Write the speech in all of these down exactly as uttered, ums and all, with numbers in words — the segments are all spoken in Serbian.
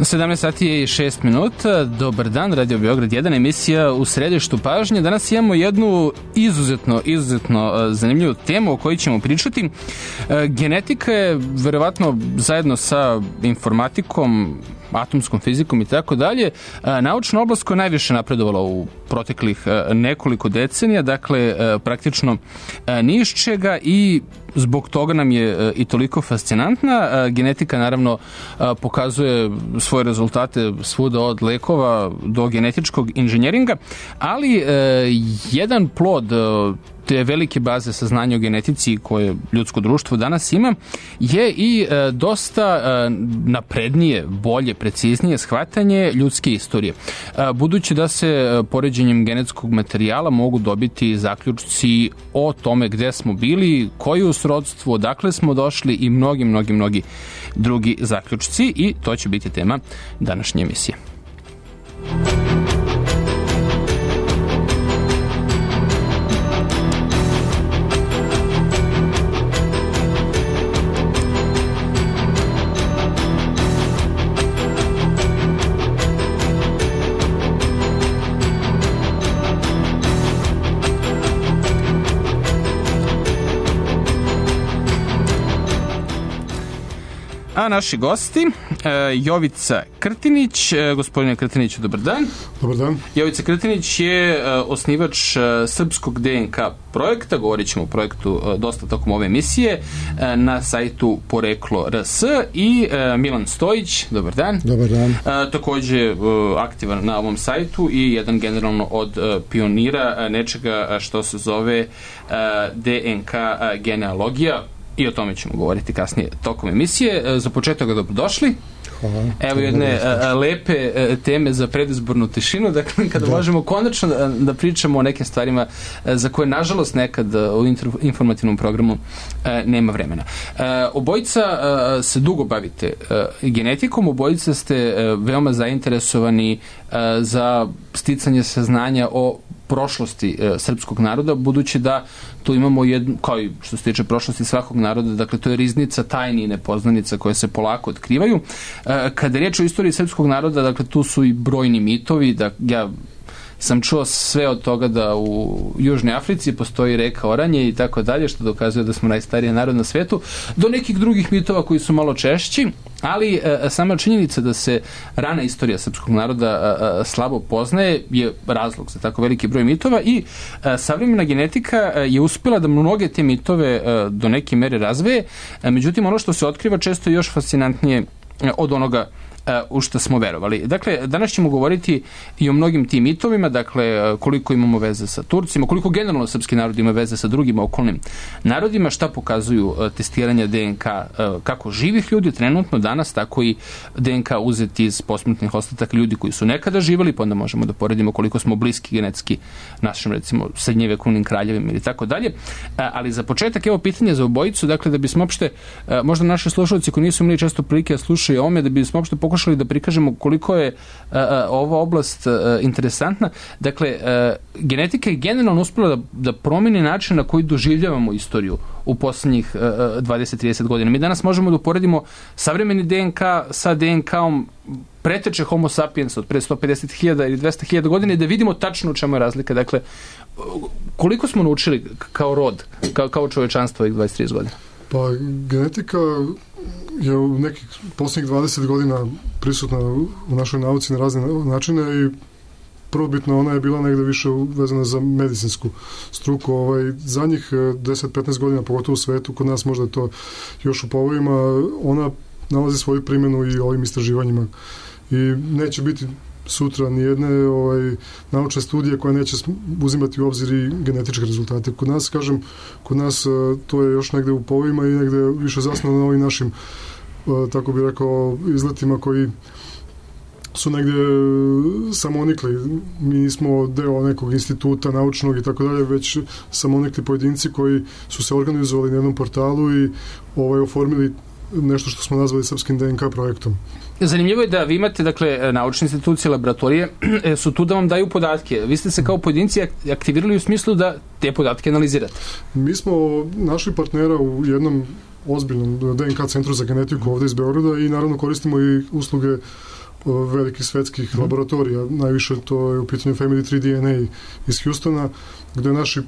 sedamnaest sati je i šest minuta. Dobar dan, Radio Beograd jedan, emisija u središtu pažnje. Danas imamo jednu izuzetno, izuzetno zanimljivu temu o kojoj ćemo pričati. Genetika je verovatno zajedno sa informatikom, atomskom fizikom i tako dalje, naučna oblast koja je najviše napredovala u proteklih nekoliko decenija, dakle praktično ni iz čega, i zbog toga nam je i toliko fascinantna. Genetika naravno pokazuje svoje rezultate svuda, od lekova do genetičkog inženjeringa, ali jedan plod te velike baze saznanja o genetici koje ljudsko društvo danas ima je i e, dosta e, naprednije, bolje, preciznije shvatanje ljudske istorije. E, budući da se e, poređenjem genetskog materijala mogu dobiti zaključci o tome gde smo bili, koji u srodstvu, odakle smo došli i mnogi, mnogi, mnogi drugi zaključci, i to će biti tema današnje emisije. A naši gosti, Jovica Krtinić. Gospodine Krtiniću, dobar dan. Dobar dan. Jovica Krtinić je osnivač srpskog D N K projekta, govorit ćemo o projektu dosta tokom ove emisije, na sajtu Poreklo R S, i Milan Stojić, dobar dan. Dobar dan. Takođe aktivan na ovom sajtu i jedan generalno od pionira nečega što se zove D N K genealogija. I o tome ćemo govoriti kasnije tokom emisije. Za početak, dobrodošli. Hvala. Evo jedne a, lepe a, teme za predizbornu tišinu, dakle kada da. možemo konačno da, da pričamo o nekim stvarima a, za koje nažalost nekad a, u inter, informativnom programu a, nema vremena. A, obojica a, se dugo bavite a, genetikom, obojica ste a, veoma zainteresovani a, za sticanje saznanja o prošlosti e, srpskog naroda, budući da tu imamo jednu, kao i što se tiče prošlosti svakog naroda, dakle to je riznica tajni i nepoznanica koje se polako otkrivaju. E, kada je riječ o istoriji srpskog naroda, dakle tu su i brojni mitovi, da ja sam čuo sve od toga da u Južnoj Africi postoji reka Oranje i tako dalje, što dokazuje da smo najstariji narod na svetu, do nekih drugih mitova koji su malo češći, ali e, sama činjenica da se rana istorija srpskog naroda e, slabo poznaje je razlog za tako veliki broj mitova, i e, savremena genetika je uspjela da mnoge te mitove e, do neke mere razveje, e, međutim ono što se otkriva često je još fascinantnije e, od onoga u što smo verovali. Dakle, danas ćemo govoriti i o mnogim tim mitovima, dakle, koliko imamo veze sa Turcima, koliko generalno srpski narod ima veze sa drugim okolnim narodima, šta pokazuju testiranja D N K kako živih ljudi trenutno danas, tako i D N K uzeti iz posmrtnih ostataka ljudi koji su nekada živali, pa onda možemo da poredimo koliko smo bliski genetski našim, recimo, srednjevekovnim kraljevima ili tako dalje. Ali za početak, evo pitanje za obojicu, dakle, da bismo opšte, možda naši slušalci koji nisu imali često prilike da slušaju o ome, da bismo opšte pokušali da prikažemo koliko je a, a, ova oblast a, interesantna. Dakle, a, genetika je generalno uspjela da, da promeni način na koji doživljavamo istoriju u poslednjih dvadeset do trideset godina. Mi danas možemo da uporedimo savremeni D N K sa D N K-om preteče Homo sapiens od pre sto pedeset hiljada ili dvesta hiljada godina i da vidimo tačno u čemu je razlika. Dakle, koliko smo naučili kao rod, kao, kao čovečanstvo ovih dvadeset do trideset godina? Pa, genetika je u nekih posljednjih dvadeset godina prisutna u našoj nauci na razne načine, i prvobitno ona je bila negde više vezana za medicinsku struku. Ovaj, zadnjih deset do petnaest godina, pogotovo u svetu, kod nas možda je to još u povojima, ona nalazi svoju primjenu i ovim istraživanjima. I neće biti sutra nijedne ovaj, naučne studije koja neće uzimati u obzir i genetičke rezultate. Kod nas, kažem, kod nas to je još negde u povojima i negde više zasnovano na ovim našim, tako bih rekao, izletima koji su negde samonikli. Mi nismo deo nekog instituta naučnog i tako dalje, već samonikli pojedinci koji su se organizovali na jednom portalu i ovaj, oformili nešto što smo nazvali srpskim D N K projektom. Zanimljivo je da vi imate, dakle, naučne institucije, laboratorije, su tu da vam daju podatke. Vi ste se kao pojedinci aktivirali u smislu da te podatke analizirate. Mi smo našli partnera u jednom ozbiljnom D N K centru za genetiku ovde iz Beograda i naravno koristimo i usluge velikih svetskih mm. laboratorija. Najviše to je u pitanju Family tri D N A iz Houstona, gde naši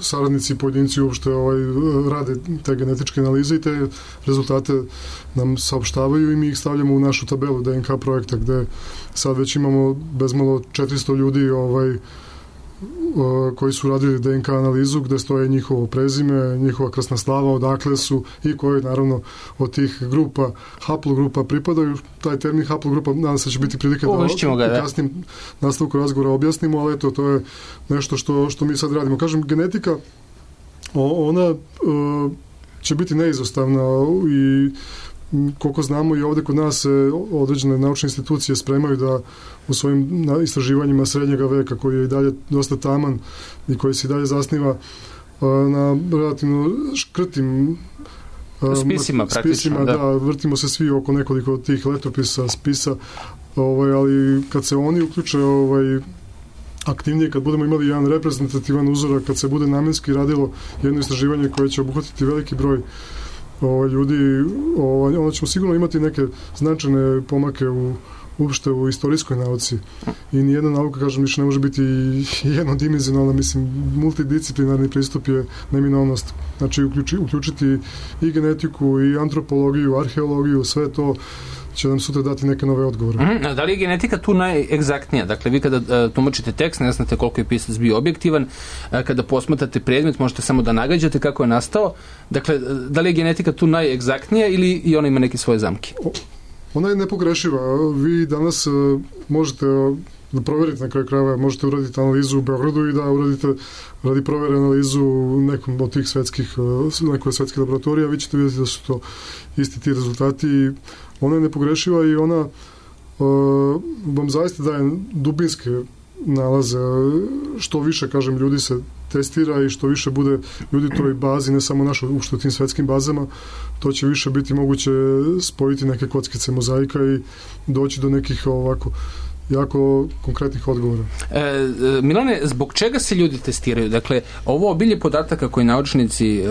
saradnici i pojedinci uopšte ovaj, rade te genetičke analize i te rezultate nam saopštavaju i mi ih stavljamo u našu tabelu D N K projekta, gde sad već imamo bezmalo četiristo ljudi ovaj, koji su radili D N K analizu, gde stoje njihovo prezime, njihova krasna slava, odakle su i koje naravno od tih grupa, haplogrupa pripadaju. Taj termin haplogrupa nadam se će biti prilike da u kasnim nastavku razgovora objasnimo, ali eto, to je nešto što, što mi sad radimo. Kažem, genetika, ona će biti neizostavna i koliko znamo i ovde kod nas se određene naučne institucije spremaju da u svojim istraživanjima srednjega veka, koji je i dalje dosta taman i koji se i dalje zasniva na relativno škrtim spisima, spisima da. da, vrtimo se svi oko nekoliko tih letopisa, spisa, ovaj, ali kad se oni uključe ovaj, aktivnije, kad budemo imali jedan reprezentativan uzorak, kad se bude namenski radilo jedno istraživanje koje će obuhvatiti veliki broj Ovo, ljudi, ovo, onda ćemo sigurno imati neke značajne pomake u uopšte u istorijskoj nauci i nijedna nauka, kažem, više ne može biti jednodimenzionalna, mislim, multidisciplinarni pristup je neminovnost. Znači, uključi, uključiti i genetiku, i antropologiju, arheologiju, sve to će nam sutra dati neke nove odgovore. Mm, da li je genetika tu najegzaktnija? Dakle, vi kada uh, tumačite tekst, ne znate koliko je pisac bio objektivan, uh, kada posmatrate predmet, možete samo da nagađate kako je nastao. Dakle, da li je genetika tu najegzaktnija ili i ona ima neke svoje zamke? O, ona je nepogrešiva. Vi danas uh, možete uh, da proverite na kraju krajeva, možete uraditi analizu u Beogradu i da uradite radi provere analizu u nekom od tih svetskih, uh, nekoj svetskih laboratorija, vi ćete vidjeti da su to isti ti rezultati i ona je nepogrešiva i ona uh, vam zaista daje dubinske nalaze. Što više, kažem, ljudi se testira i što više bude ljudi u toj bazi, ne samo našo uopšte u tim svetskim bazama, to će više biti moguće spojiti neke kockice mozaika i doći do nekih ovako jako konkretnih odgovora. E, Milane, zbog čega se ljudi testiraju? Dakle, ovo obilje podataka koji naučnici e,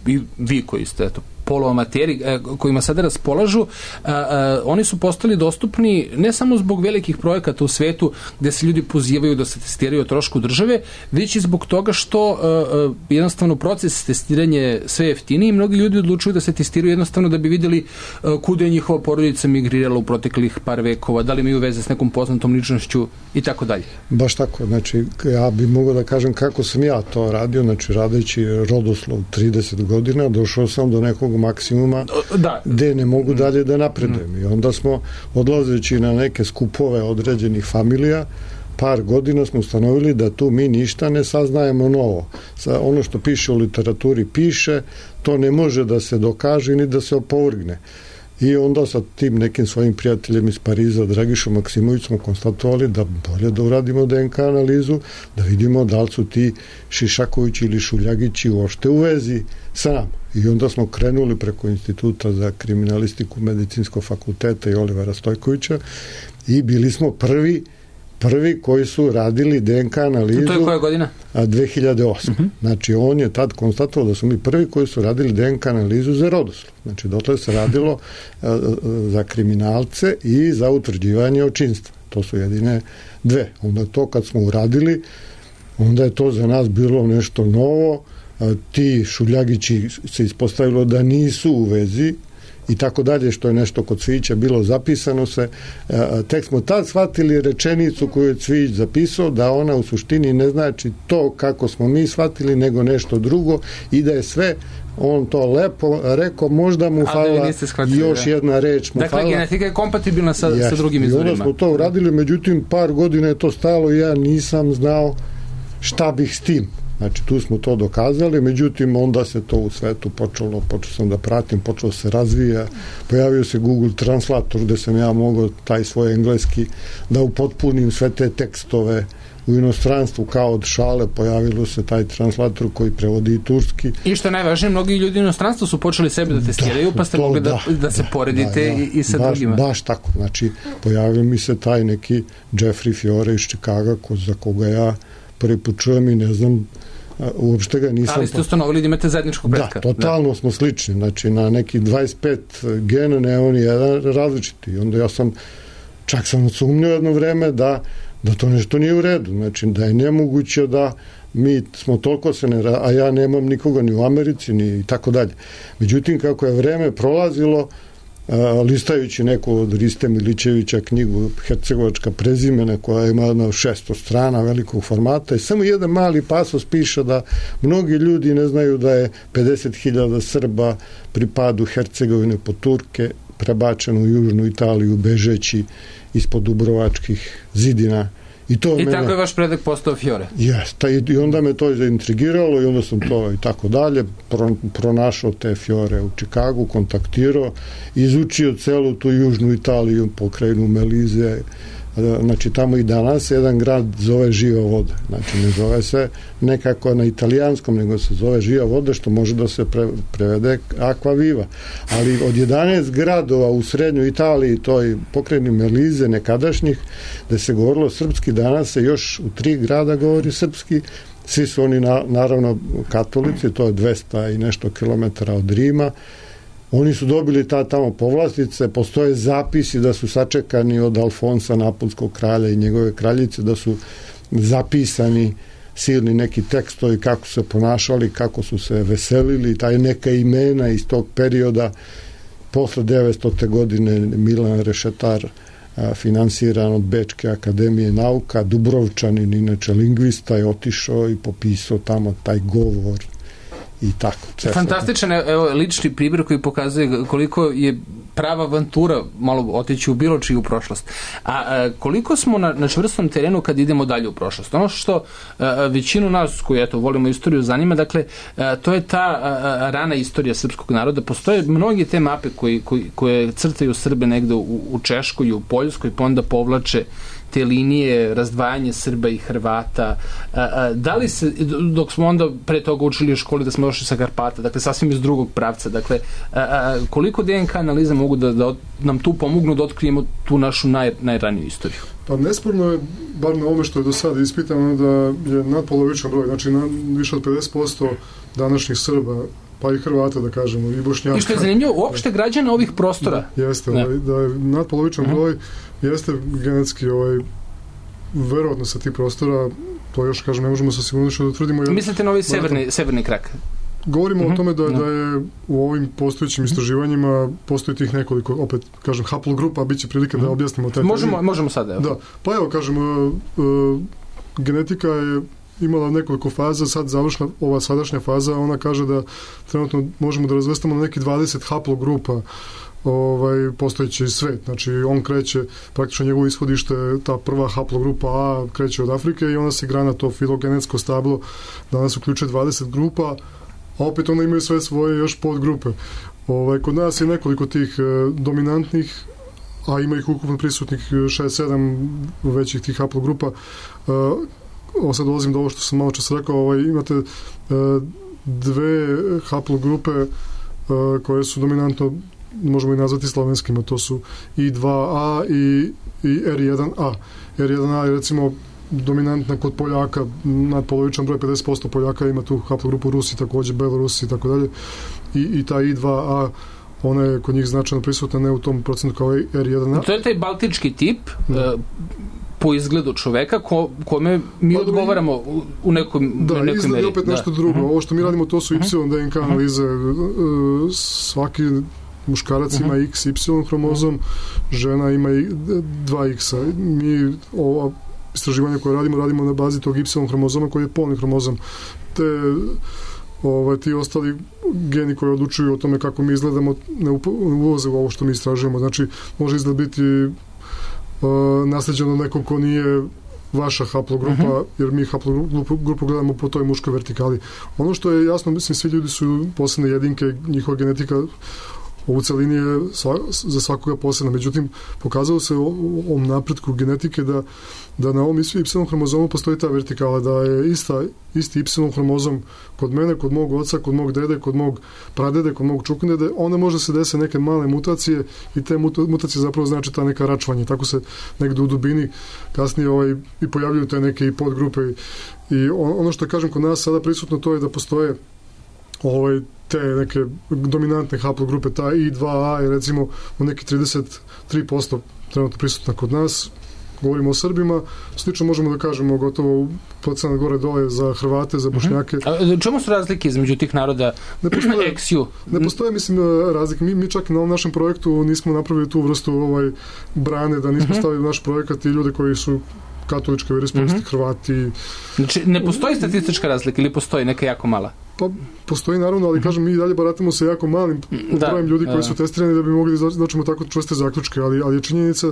i vi koji ste eto, poluamateri kojima sada raspolažu, a, a, oni su postali dostupni ne samo zbog velikih projekata u svetu gde se ljudi pozivaju da se testiraju o trošku države, već i zbog toga što a, a, jednostavno proces testiranja je sve jeftiniji i mnogi ljudi odlučuju da se testiraju jednostavno da bi videli a, kuda je njihova porodica migrirala u proteklih par vekova, da li imaju veze s nekom poznatom ličnošću i tako dalje. Baš tako, znači ja bih mogao da kažem kako sam ja to radio, znači radeći rodoslov trideset godina, došao sam do nekog maksimuma da. Gde ne mogu dalje da napredujem. Mm. I onda smo, odlazeći na neke skupove određenih familija, par godina smo ustanovili da tu mi ništa ne saznajemo novo. Sa ono što piše u literaturi piše, to ne može da se dokaže ni da se opovrgne. I onda sa tim nekim svojim prijateljem iz Pariza, Dragišom Maksimović, smo konstatovali da bolje da uradimo D N K analizu, da vidimo da li su ti Šišakovići ili Šuljagići uopšte u vezi sa nama. I onda smo krenuli preko Instituta za kriminalistiku Medicinskog fakulteta i Olivera Stojkovića i bili smo prvi prvi koji su radili D N K analizu. To je koja godina? dve hiljade osme. Uh-huh. Znači, on je tad konstatovao da su mi prvi koji su radili D N K analizu za rodoslov. Znači, dotle se radilo a, za kriminalce i za utvrđivanje očinstva. To su jedine dve. Onda to kad smo uradili, onda je to za nas bilo nešto novo. A, ti Šuljagići se ispostavilo da nisu u vezi i tako dalje, što je nešto kod Cvijića bilo zapisano se. Tek smo tad shvatili rečenicu koju je Cvijić zapisao, da ona u suštini ne znači to kako smo mi shvatili, nego nešto drugo i da je sve, on to lepo rekao, možda mu fala još jedna reč mu dakle, fala. Dakle, genetika je kompatibilna sa, yes. sa drugim izvorima. I onda smo to uradili, međutim, par godina je to stajalo i ja nisam znao šta bih s tim. Znači, tu smo to dokazali, međutim, onda se to u svetu počelo, počeo sam da pratim, počeo se razvija, pojavio se Google Translator, gde sam ja mogao taj svoj engleski da upotpunim sve te tekstove u inostranstvu, kao od šale, pojavilo se taj translator koji prevodi i turski. I što je najvažnije, mnogi ljudi u inostranstvu su počeli sebe da testiraju, da, pa ste to, mogli da, da, da se poredite da, da, i, i sa baš, drugima. Baš tako, znači, pojavio mi se taj neki Jeffrey Fiore iz Čikaga, ko, za koga ja prvi put čujem i ne znam uopšte ga nisam... Ali ste ustanovili da imate zajedničkog pretka. Da, totalno da. Smo slični, znači na neki dvadeset pet gena ne on jedan različiti. I onda ja sam, čak sam sumnio jedno vreme da, da to nešto nije u redu, znači da je nemoguće da mi smo toliko se ne... a ja nemam nikoga ni u Americi, ni i tako dalje. Međutim, kako je vreme prolazilo, listajući neku od Riste Milićevića knjigu Hercegovačka prezimena koja ima na šesto strana velikog formata i samo jedan mali pasos piše da mnogi ljudi ne znaju da je pedeset hiljada Srba pri padu Hercegovine po Turke prebačeno u južnu Italiju bežeći ispod Dubrovačkih zidina. I, to I mene, tako je vaš predak postao Fiore. Jeste, i onda me to zaintrigiralo i onda sam to i tako dalje pro, pronašao te Fiore u Čikagu, kontaktirao, izučio celu tu južnu Italiju, pokrajinu Melize, znači tamo i danas jedan grad zove Živa voda, znači ne zove se nekako na italijanskom, nego se zove Živa voda, što može da se pre, prevede Aqua Viva, ali od jedanaest gradova u srednjoj Italiji, toj pokrajini Melize nekadašnjih, da se govorilo srpski, danas se još u tri grada govori srpski, svi su oni na, naravno katolici, to je dvesta i nešto kilometara od Rima. Oni su dobili ta tamo povlastice, postoje zapisi da su sačekani od Alfonsa Napolskog kralja i njegove kraljice, da su zapisani silni neki tekstovi kako su se ponašali, kako su se veselili, taj neka imena iz tog perioda. Posle devetstote godine Milan Rešetar, finansiran od Bečke akademije nauka, Dubrovčanin, inače lingvista, je otišao i popisao tamo taj govor i tako. Fantastičan evo, lični primjer koji pokazuje koliko je prava avantura malo otići u bilo čiju prošlost. A, a koliko smo na, na čvrstom terenu kad idemo dalje u prošlost? Ono što a, većinu nas koji eto, volimo istoriju zanima, dakle, a, to je ta a, rana istorija srpskog naroda. Postoje mnogi te mape koji, koji, koje crtaju Srbe negde u, u Češkoj i u Poljskoj, pa onda povlače te linije, razdvajanje Srba i Hrvata. A, a, da li se, dok smo onda pre toga učili u školi da smo došli sa Karpata, dakle sasvim iz drugog pravca, dakle a, a, koliko D N K analize mogu da, da nam tu pomognu da otkrijemo tu našu naj, najraniju istoriju? Pa nesporno je, bar na ovome što je do sada ispitano, da je nadpolovičan broj, znači na, više od pedeset posto današnjih Srba, pa i Hrvata, da kažemo, i Bošnjaka. I što je zanimljivo, uopšte građana ovih prostora. Jeste, ovaj, da je nadpolovičan uh-huh. broj, jeste genetski ovaj, verovatno sa tih prostora, to još, kažem, ne možemo sa sigurnošću da utvrdimo. Jer, mislite na ovaj severni, severni krak? Govorimo uh-huh. o tome da, no. da je u ovim postojećim istraživanjima postoji tih nekoliko, opet, kažem, haplogrupa, bit će prilike uh-huh. da objasnimo taj možemo, termin. Možemo sada, evo. Da, pa evo, kažem, uh, uh, genetika je imala nekoliko faza, sad završna, ova sadašnja faza, ona kaže da trenutno možemo da razvrstamo na neki dvadeset haplogrupa ovaj, postojeći svet. Znači, on kreće, praktično njegovo ishodište, ta prva haplogrupa A kreće od Afrike i ona se igra na to filogenetsko stablo, danas uključuje dvadeset grupa, a opet ona imaju sve svoje još podgrupe. Ovaj, kod nas je nekoliko tih eh, dominantnih, a ima ih ukupno prisutnih šest sedam većih tih haplogrupa. Eh, ovo sad dolazim do ovo što sam malo čas rekao, ovaj, imate uh, dve haplogrupe uh, koje su dominantno, možemo i nazvati slovenskima, to su I dva A i, i R jedan A. R jedan A je recimo dominantna kod Poljaka, nadpolovičan broj, pedeset posto Poljaka ima tu haplogrupu, Rusi takođe, Belorusi i tako dalje. I, i ta I dva A, ona je kod njih značajno prisutna, ne u tom procentu kao R jedan A. To je taj baltički tip, da. uh, po izgledu čoveka ko, kome mi pa, odgovaramo u, u nekom da, nekoj meri. Da, izgled opet nešto da. drugo. Uh-huh. Ovo što mi radimo, to su Y D N K analize. Uh, svaki muškarac ima uh-huh. X Y hromozom, žena ima i dva X. Mi ova istraživanja koje radimo, radimo na bazi tog Y hromozoma koji je polni hromozom. Te ovaj, ti ostali geni koji odlučuju o tome kako mi izgledamo ne ulaze u ovo što mi istražujemo. Znači, može izgled biti Uh, nasleđeno nekom ko nije vaša haplogrupa, uh-huh. jer mi haplogrupu grupu gledamo po toj muškoj vertikali. Ono što je jasno, mislim, svi ljudi su posebne jedinke, njihova genetika ovu celini je sva, za svakoga posebna. Međutim, pokazalo se o ovom napretku genetike da, da na ovom Y hromozomu postoji ta vertikala, da je ista, isti Y hromozom kod mene, kod mog oca, kod mog dede, kod mog pradede, kod mog čukundede, onda može se desiti neke male mutacije i te mutacije zapravo znači ta neka račvanje. Tako se negde u dubini kasnije ovaj, i pojavljuju te neke i podgrupe i, i ono što kažem kod nas sada prisutno to je da postoje ovaj, te neke dominantne haplogrupe, ta I dva A je recimo u neki trideset tri posto trenutno prisutna kod nas, govorimo o Srbima, slično možemo da kažemo gotovo procenat gore dole za Hrvate, za Bošnjake. A čemu su razlike između tih naroda eksiju? Ne postoje, mislim, razlike. Mi, mi čak na ovom našem projektu nismo napravili tu vrstu ovaj, brane, da nismo stavili naš projekat i ljude koji su katoličke veroispovesti, mm-hmm. Hrvati. Znači, ne postoji statistička razlika ili postoji neka jako mala? Pa, postoji naravno, ali kažem, mi dalje baratamo sa jako malim da, brojem ljudi koji da. su testirani da bi mogli da doćemo tako čvrste zaključke, ali, ali je činjenica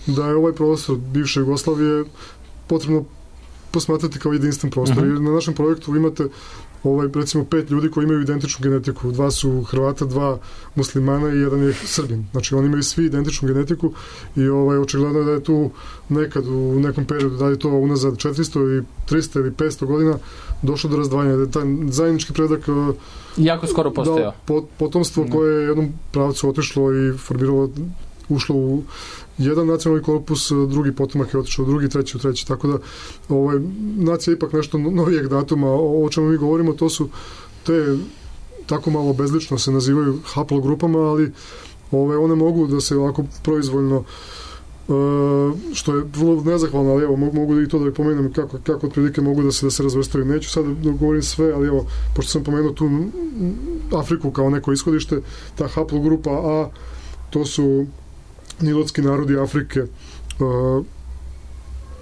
da je ovaj prostor bivše Jugoslavije potrebno posmatrati kao jedinstven prostor. Uh-huh. Jer na našem projektu imate ovaj, recimo pet ljudi koji imaju identičnu genetiku. Dva su Hrvata, dva muslimana i jedan je Srbin. Znači oni imaju svi identičnu genetiku i ovaj, očigledno je da je tu nekad u nekom periodu, da je to unazad četiristo i trista ili petsto godina došlo do razdvajanja. Da je taj zajednički predak jako skoro postojao. Da, potomstvo no. koje je jednom pravcu otišlo i formiralo, ušlo u jedan nacionalni korpus, drugi potomak je otišao u drugi, treći u treći, tako da ovaj, nacija je ipak nešto novijeg datuma. O, o čemu mi govorimo, to su te, tako malo bezlično se nazivaju haplogrupama, ali ove, one mogu da se ovako proizvoljno, Uh, što je vrlo nezahvalno, ali evo, mogu, mogu i to da pomenem kako, kako otprilike mogu da se, da se razvrstaju. Neću sad da govorim sve, ali evo, pošto sam pomenuo tu Afriku kao neko ishodište, ta haplogrupa A, to su nilotski narodi Afrike. Uh,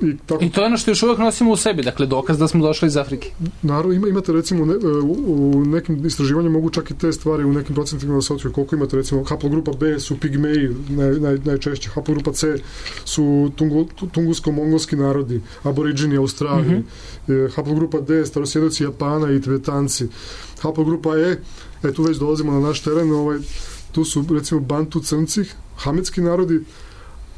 I, tako, I to je ono što još uvijek nosimo u sebi, dakle dokaz da smo došli iz Afrike. Naravno, ima, imate recimo ne, u, u nekim istraživanjima mogu čak i te stvari u nekim procentima da se otkriju. Koliko imate recimo haplogrupa B su pigmeji, naj, naj, najčešće, haplogrupa C su tungu, tungusko-mongolski narodi, aboriđini Australije, mm-hmm. haplogrupa D starosjedoci Japana i Tibetanci, haplogrupa E, e tu već dolazimo na naš teren, ovaj, tu su recimo Bantu crnci, hametski narodi,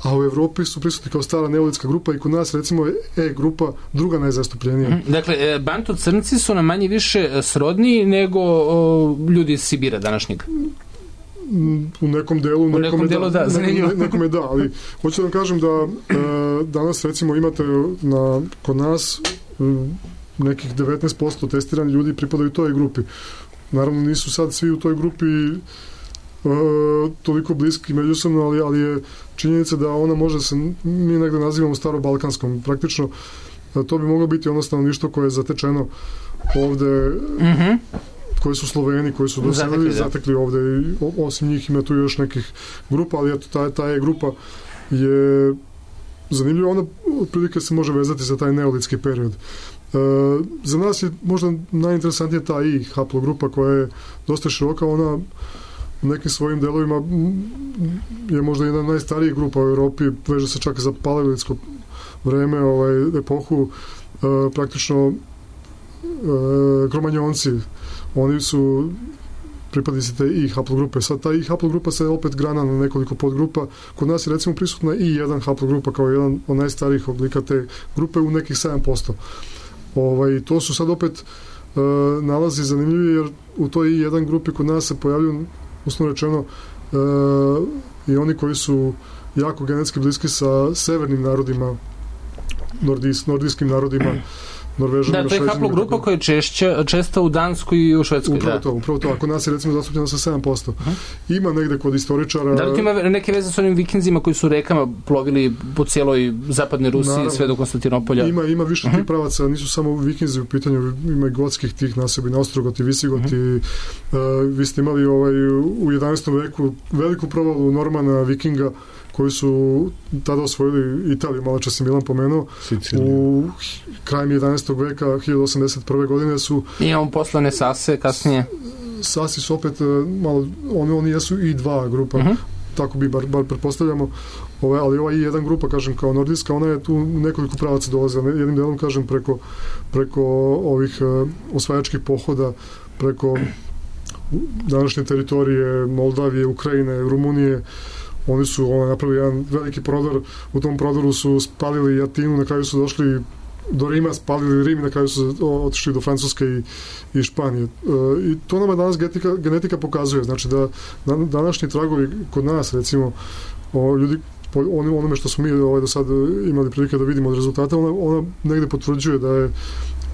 a u Evropi su prisutni kao stara neolitska grupa i kod nas recimo E grupa druga najzastupljenija. Mm, dakle, Bantu crnci su nam manje više srodniji nego o, ljudi iz Sibira današnjeg. U nekom delu, u nekom, nekom delu da, da nekom, nekom je da, ali hoću da vam kažem da e, danas recimo imate na, kod nas e, nekih devetnaest posto testirani ljudi pripadaju toj grupi. Naravno nisu sad svi u toj grupi Uh, toliko bliski međusobno, ali, ali je činjenica da ona može se, mi negde nazivamo staro-balkanskom praktično, uh, to bi moglo biti ono stanovništvo koje je zatečeno ovde, mm-hmm. koji su Sloveni, koji su doselili, zatekli ovde i osim njih ima tu još nekih grupa, ali eto, ta, ta je grupa je zanimljiva, ona otprilike se može vezati za taj neolitski period. Uh, za nas je možda najinteresantnija ta I haplogrupa koja je dosta široka, ona u nekim svojim delovima je možda jedna od najstarijih grupa u Evropi, veže se čak za paleolitsko vreme, ovaj, epohu, e, praktično e, kromanjonci, oni su pripadnici te I haplogrupe. Sad ta I haplogrupa se opet grana na nekoliko podgrupa. Kod nas je recimo prisutna I jedan haplogrupa kao jedan od najstarijih oblika te grupe u nekih sedam posto. Ovaj, to su sad opet e, nalazi zanimljivi jer u toj I jedan grupi kod nas se pojavljuju uslovno rečeno e, i oni koji su jako genetski bliski sa severnim narodima, nordijs, nordijskim narodima, Norvežanima, da, to je haplogrupa koja je češća, česta u Danskoj i u Švedskoj. Upravo da. to, upravo to. Ako nas je recimo zastupljeno sa sedam posto. Uh-huh. Ima negde kod istoričara... Da li to ima neke veze s onim vikinzima koji su rekama plovili po cijeloj zapadnoj Rusiji, naravno, sve do Konstantinopolja? Ima, ima više uh-huh. tih pravaca, nisu samo vikinzi u pitanju, ima i gotskih tih nasobina, Ostrogoti, Visigoti. Uh-huh. Uh, vi ste imali ovaj, u jedanaestom veku veliku provalu Normana, Vikinga, koji su tada osvojili Italiju, malo čas je Milan pomenuo, Sicilija. U krajem jedanaestog veka, hiljadu osamdeset prve godine su... Imamo poslane Sase kasnije. Sasi su opet, malo, oni, oni jesu I dva grupa, uh-huh. tako bi bar, bar pretpostavljamo, ove, ali ova I jedan grupa, kažem, kao nordijska, ona je tu nekoliko pravaca dolazila, jednim delom, kažem, preko, preko ovih uh, osvajačkih pohoda, preko današnje teritorije Moldavije, Ukrajine, Rumunije. Oni su ono, napravili jedan veliki prodor, u tom prodoru su spalili Atinu, na kraju su došli do Rima, spalili Rim, na kraju su otišli do Francuske i, i Španije. E, I to nama danas genetika, genetika pokazuje, znači da današnji tragovi kod nas, recimo, o, ljudi po onome što smo mi ovaj, do sad imali prilike da vidimo od rezultata, ona, ona negde potvrđuje da je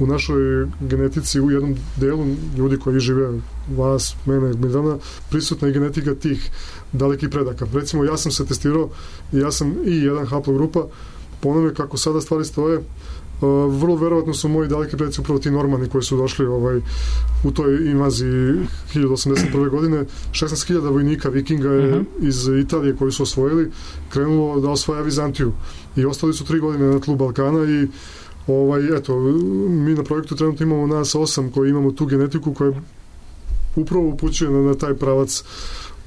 u našoj genetici u jednom delu ljudi koji žive, vas, mene, Miljana, prisutna i genetika tih dalekih predaka. Recimo, ja sam se testirao i ja sam i jedan haplogrupa, po onome kako sada stvari stoje, Uh, vrlo verovatno su moji daleki predici upravo ti Normani koji su došli ovaj, u toj invaziji hiljadu osamdeset prve. godine. šesnaest hiljada vojnika vikinga je uh-huh. iz Italije koji su osvojili krenulo da osvaja Vizantiju i ostali su tri godine na tlu Balkana i ovaj, eto, mi na projektu trenutno imamo nas osam koji imamo tu genetiku koja upravo upućuje na, na taj pravac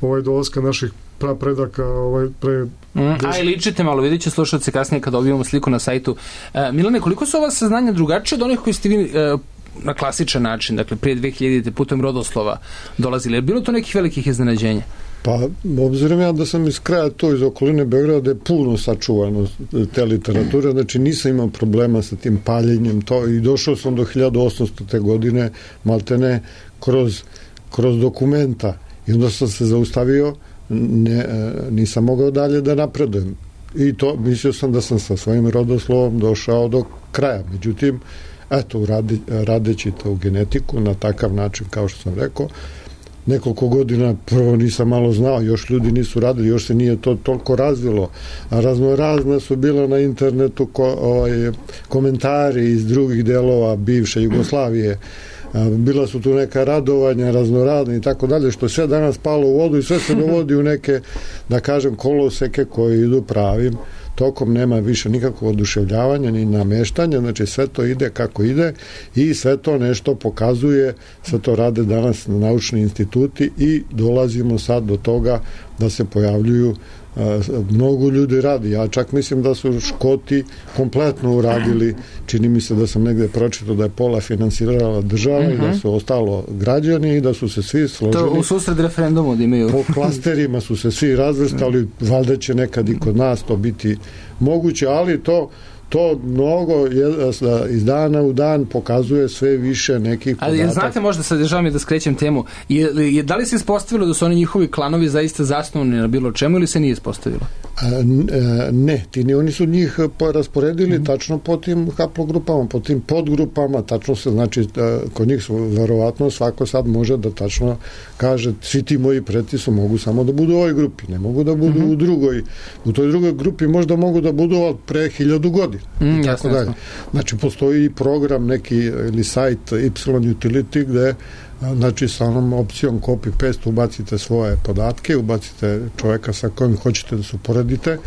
ovaj, dolaska naših pra predaka ovaj, pre... Mm, a i ličite malo, vidjet će slušalci kasnije kad dobijemo sliku na sajtu. E, Milane, koliko su ova saznanja drugačije od onih koji ste vi e, na klasičan način, dakle prije dve hiljadite putem rodoslova dolazili? Je bilo to nekih velikih iznenađenja? Pa, obzirom ja da sam iz kraja to, iz okoline Beograda, da je puno sačuvano te literature, znači nisam imao problema sa tim paljenjem to i došao sam do hiljadu osamstote. godine, maltene, kroz, kroz dokumenta i onda sam se zaustavio, ne, nisam mogao dalje da napredujem i to mislio sam da sam sa svojim rodoslovom došao do kraja, međutim eto, rade, radeći to u genetiku na takav način kao što sam rekao, nekoliko godina prvo nisam malo znao, još ljudi nisu radili, još se nije to toliko razvilo, a razno razne su bila na internetu ko, ovaj, komentari iz drugih delova bivše Jugoslavije, bila su tu neka radovanja raznoradne i tako dalje, što sve danas palo u vodu i sve se dovodi u neke, da kažem, koloseke koji idu pravim tokom, nema više nikakvog oduševljavanja ni nameštanja, znači sve to ide kako ide i sve to nešto pokazuje, sve to rade danas naučni instituti i dolazimo sad do toga da se pojavljuju mnogo ljudi radi. Ja čak mislim da su Škoti kompletno uradili, čini mi se da sam negde pročitao da je pola finansirala država uh-huh. i da su ostalo građani i da su se svi složili. To u susred referendumu da imaju. Po klasterima su se svi razvrstali, valjda će nekad i kod nas to biti moguće, ali to to mnogo iz dana u dan pokazuje sve više nekih podataka. Ali znate, možda sad žao mi da skrećem temu, je, je, da li se ispostavilo da su oni njihovi klanovi zaista zasnovani na bilo čemu ili se nije ispostavilo? A, ne, ti ne, oni su njih rasporedili mm. tačno po tim haplogrupama, po tim podgrupama, tačno se, znači, kod njih su verovatno svako sad može da tačno kaže, svi ti moji preci su mogu samo da budu u ovoj grupi, ne mogu da budu mm-hmm. u drugoj, u toj drugoj grupi možda mogu da budu od pre hiljadu godina. Mm, i tako dalje. Znači, postoji program neki ili sajt Y Utility gde znači sa onom opcijom copy-paste ubacite svoje podatke, ubacite čoveka sa kojim hoćete da se uporedite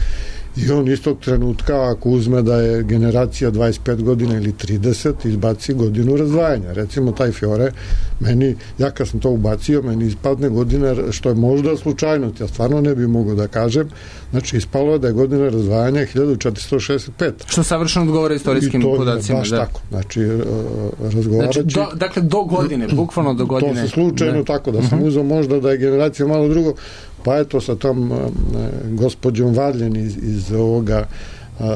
i on istog trenutka ako uzme da je generacija dvadeset pet godina ili trideset, izbaci godinu razdvajanja. Recimo taj Fiore, meni, ja kad sam to ubacio, meni ispadne godina, što je možda slučajnost, ja stvarno ne bi mogao da kažem, znači ispalo je da je godina razdvajanja hiljadu četiristo šezdeset peta. Što savršeno odgovara istorijskim podacima. Baš da. Tako, znači razgovarajući... Znači, do, dakle, do godine, bukvalno do godine. To se slučajno ne. Tako, da sam uh-huh. uzao možda da je generacija malo drugo, pa eto sa tom uh, gospođom Varljen iz, iz ovoga uh,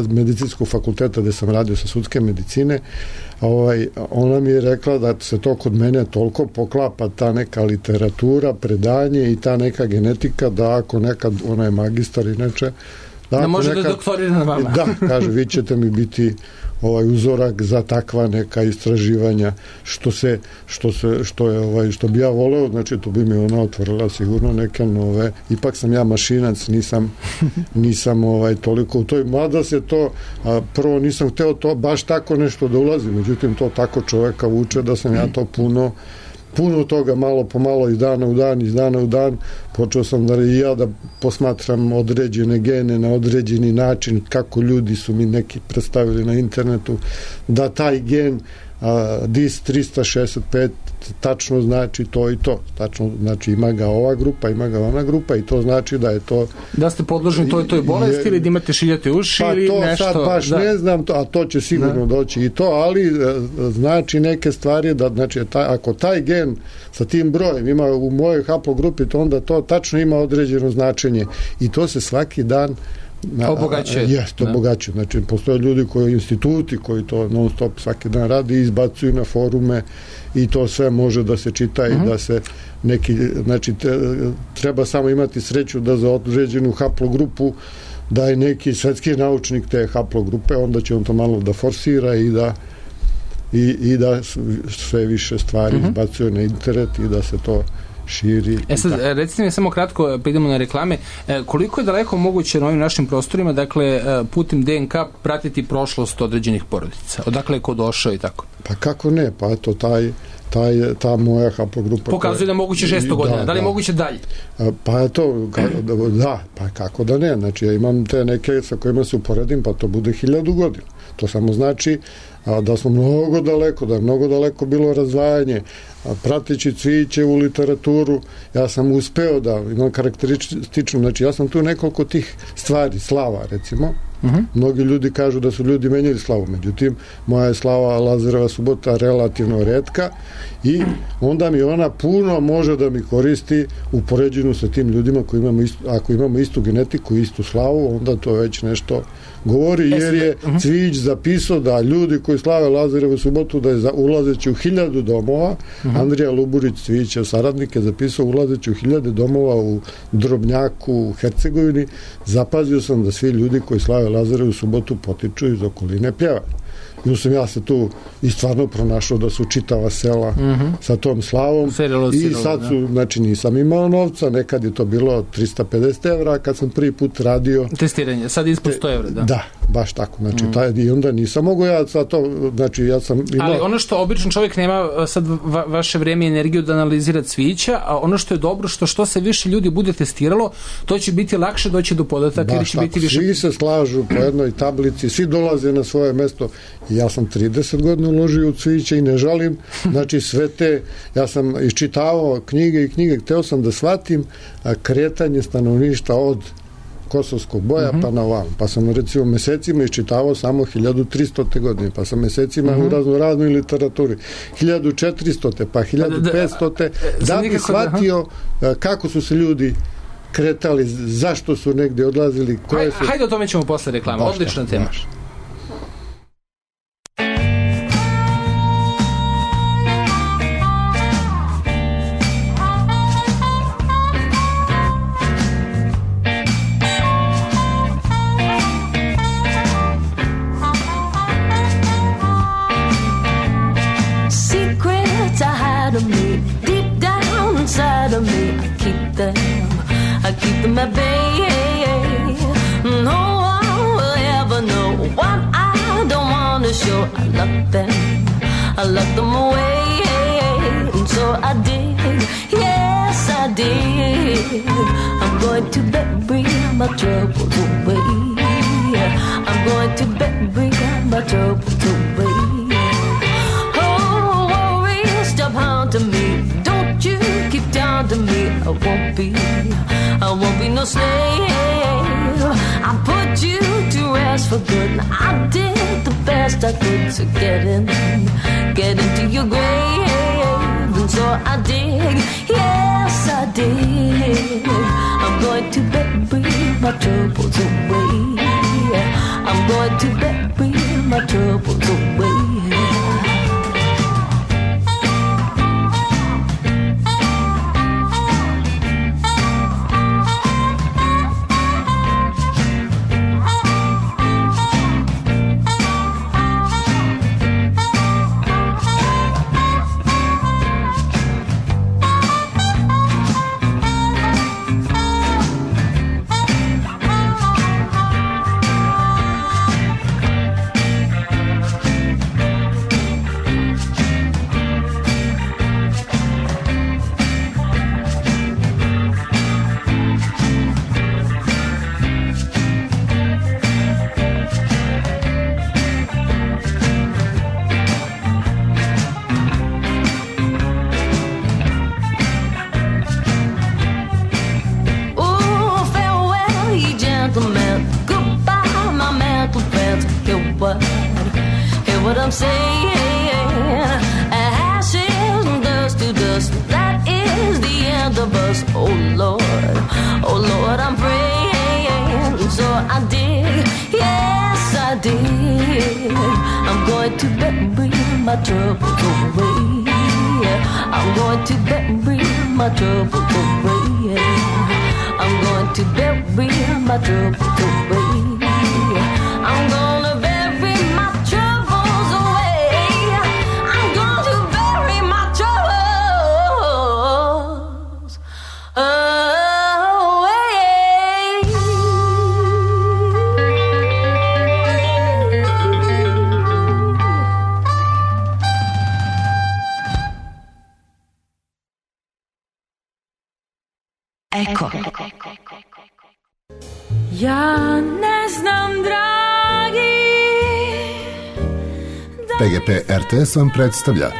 medicinskog fakulteta gde sam radio sa sudske medicine, ovaj, ona mi je rekla da se to kod mene toliko poklapa, ta neka literatura, predanje i ta neka genetika, da ako nekad, ona je magistar i neče, da, da može nekad, da doktorira na vama. Da, kaže, vi ćete mi biti ovaj uzorak za takva neka istraživanja, što se što se što je ovaj što bi ja voleo, znači to bi mi ona otvorila sigurno neke nove. Ipak sam ja mašinac, nisam nisam ovaj toliko u toj, mada se to a, prvo nisam hteo to baš tako nešto da ulazi, međutim to tako čoveka vuče da sam ja to puno puno toga malo po malo iz dana u dan, iz dana u dan počeo sam da i ja da posmatram određene gene na određeni način, kako ljudi su mi neki predstavili na internetu, da taj gen a, D I S tristo šezdeset pet tačno znači to i to. Tačno znači ima ga ova grupa, ima ga ona grupa i to znači da je to... Da ste podložni toj toj bolesti ili da imate šiljate uši pa ili to nešto... Pa to sad baš da. ne znam, to, a to će sigurno da. doći i to, ali znači neke stvari da, znači, taj, ako taj gen sa tim brojem ima u mojoj haplogrupi, to onda to tačno ima određeno značenje i to se svaki dan obogaćuje. Jeste, obogaćuje. Znači, postoje ljudi koji, instituti koji to non stop svaki dan radi i izbacuju na forume i to sve može da se čita uh-huh. i da se neki, znači, te, treba samo imati sreću da za određenu haplogrupu da je neki svetski naučnik te haplogrupe, onda će on to malo da forsira i da i, i da sve više stvari uh-huh. izbacuje na internet i da se to širi. E sad, recite mi samo kratko, pa idemo na reklame, koliko je daleko moguće na ovim našim prostorima, dakle, putem D N K pratiti prošlost određenih porodica? Odakle je ko došao i tako? Pa kako ne, pa eto, taj, taj, ta moja haplogrupa... Pokazuje da je moguće šesto godina, da, da li je da. moguće dalje? Pa eto, da, pa kako da ne, znači ja imam te neke sa kojima se uporedim, pa to bude hiljadu godina. To samo znači a, da smo mnogo daleko, da je mnogo daleko bilo razdvajanje. A, prateći cviće u literaturu, ja sam uspeo da imam karakteristično, znači ja sam tu nekoliko tih stvari, slava recimo, uh-huh. mnogi ljudi kažu da su ljudi menjali slavu, međutim, moja je slava Lazareva subota relativno retka i onda mi ona puno može da mi koristi u poređenju sa tim ljudima koji imamo istu, ako imamo istu genetiku, istu slavu, onda to već nešto govori, jer je Cvijić zapisao da ljudi koji slave Lazarevu subotu da je za, ulazeći u hiljadu domova, uh-huh. Andrija Luburić, Cvijićev saradnik, je zapisao ulazeći u hiljade domova u Drobnjaku, u Hercegovini, zapazio sam da svi ljudi koji slave Lazarevu subotu potiču iz okoline Pjeva. I sam ja se tu i stvarno pronašao da su čitava sela uh-huh. sa tom slavom Serilo, i serilo, sad su, da. znači nisam imao novca, nekad je to bilo trista pedeset evra kad sam prvi put radio testiranje, sad ispod sto evra, da. Da, baš tako, znači uh-huh. taj, i onda nisam mogao ja sad to, znači ja sam imao... Ali ono što običan čovjek nema sad va, vaše vreme i energiju da analizira cvijeća, a ono što je dobro, što što se više ljudi bude testiralo, to će biti lakše doći do podataka, jer će tako, biti više... Svi se slažu po jednoj tablici, svi dolaze na svoje mesto. Ja sam trideset godina uložio u cvijeće i ne žalim, znači sve te, ja sam iščitavao knjige i knjige, hteo sam da shvatim kretanje stanovništva od kosovskog boja uh-huh. pa na ovam. Pa sam recimo mesecima iščitavao samo hiljadu tristote godine, pa sam mesecima uh-huh. u razno raznoj literaturi hiljadu četiristote pa hiljadu petstote da bi shvatio da, kako su se ljudi kretali, zašto su negdje odlazili, koje su... Hajde o tome ćemo posle reklama, baš odlična tako, tema. Baš. I keep them at bay. No one will ever know what I don't want to show. I lock them, I lock them away. And so I did, yes I did. I'm going to bury my troubles away. I'm going to bury my troubles away. Oh, worry, stop haunting me. Don't you keep down to me. I won't be, I won't be no slave. I put you to rest for good. I did the best I could to get in, get into your grave. And so I did, yes I did. I'm going to bury my troubles away. I'm going to bury my troubles away. I'm saying. Ashes and dust to dust, that is the end of us. Oh Lord, oh Lord, I'm praying. So I did, yes I did. I'm going to bury my troubles away. I'm going to bury my troubles away. I'm going to bury my troubles away. I'm gonna bury my troubles away. I'm going to bury my troubles away. Eko. Ja ne znam, dragi, P G P R T S vam predstavlja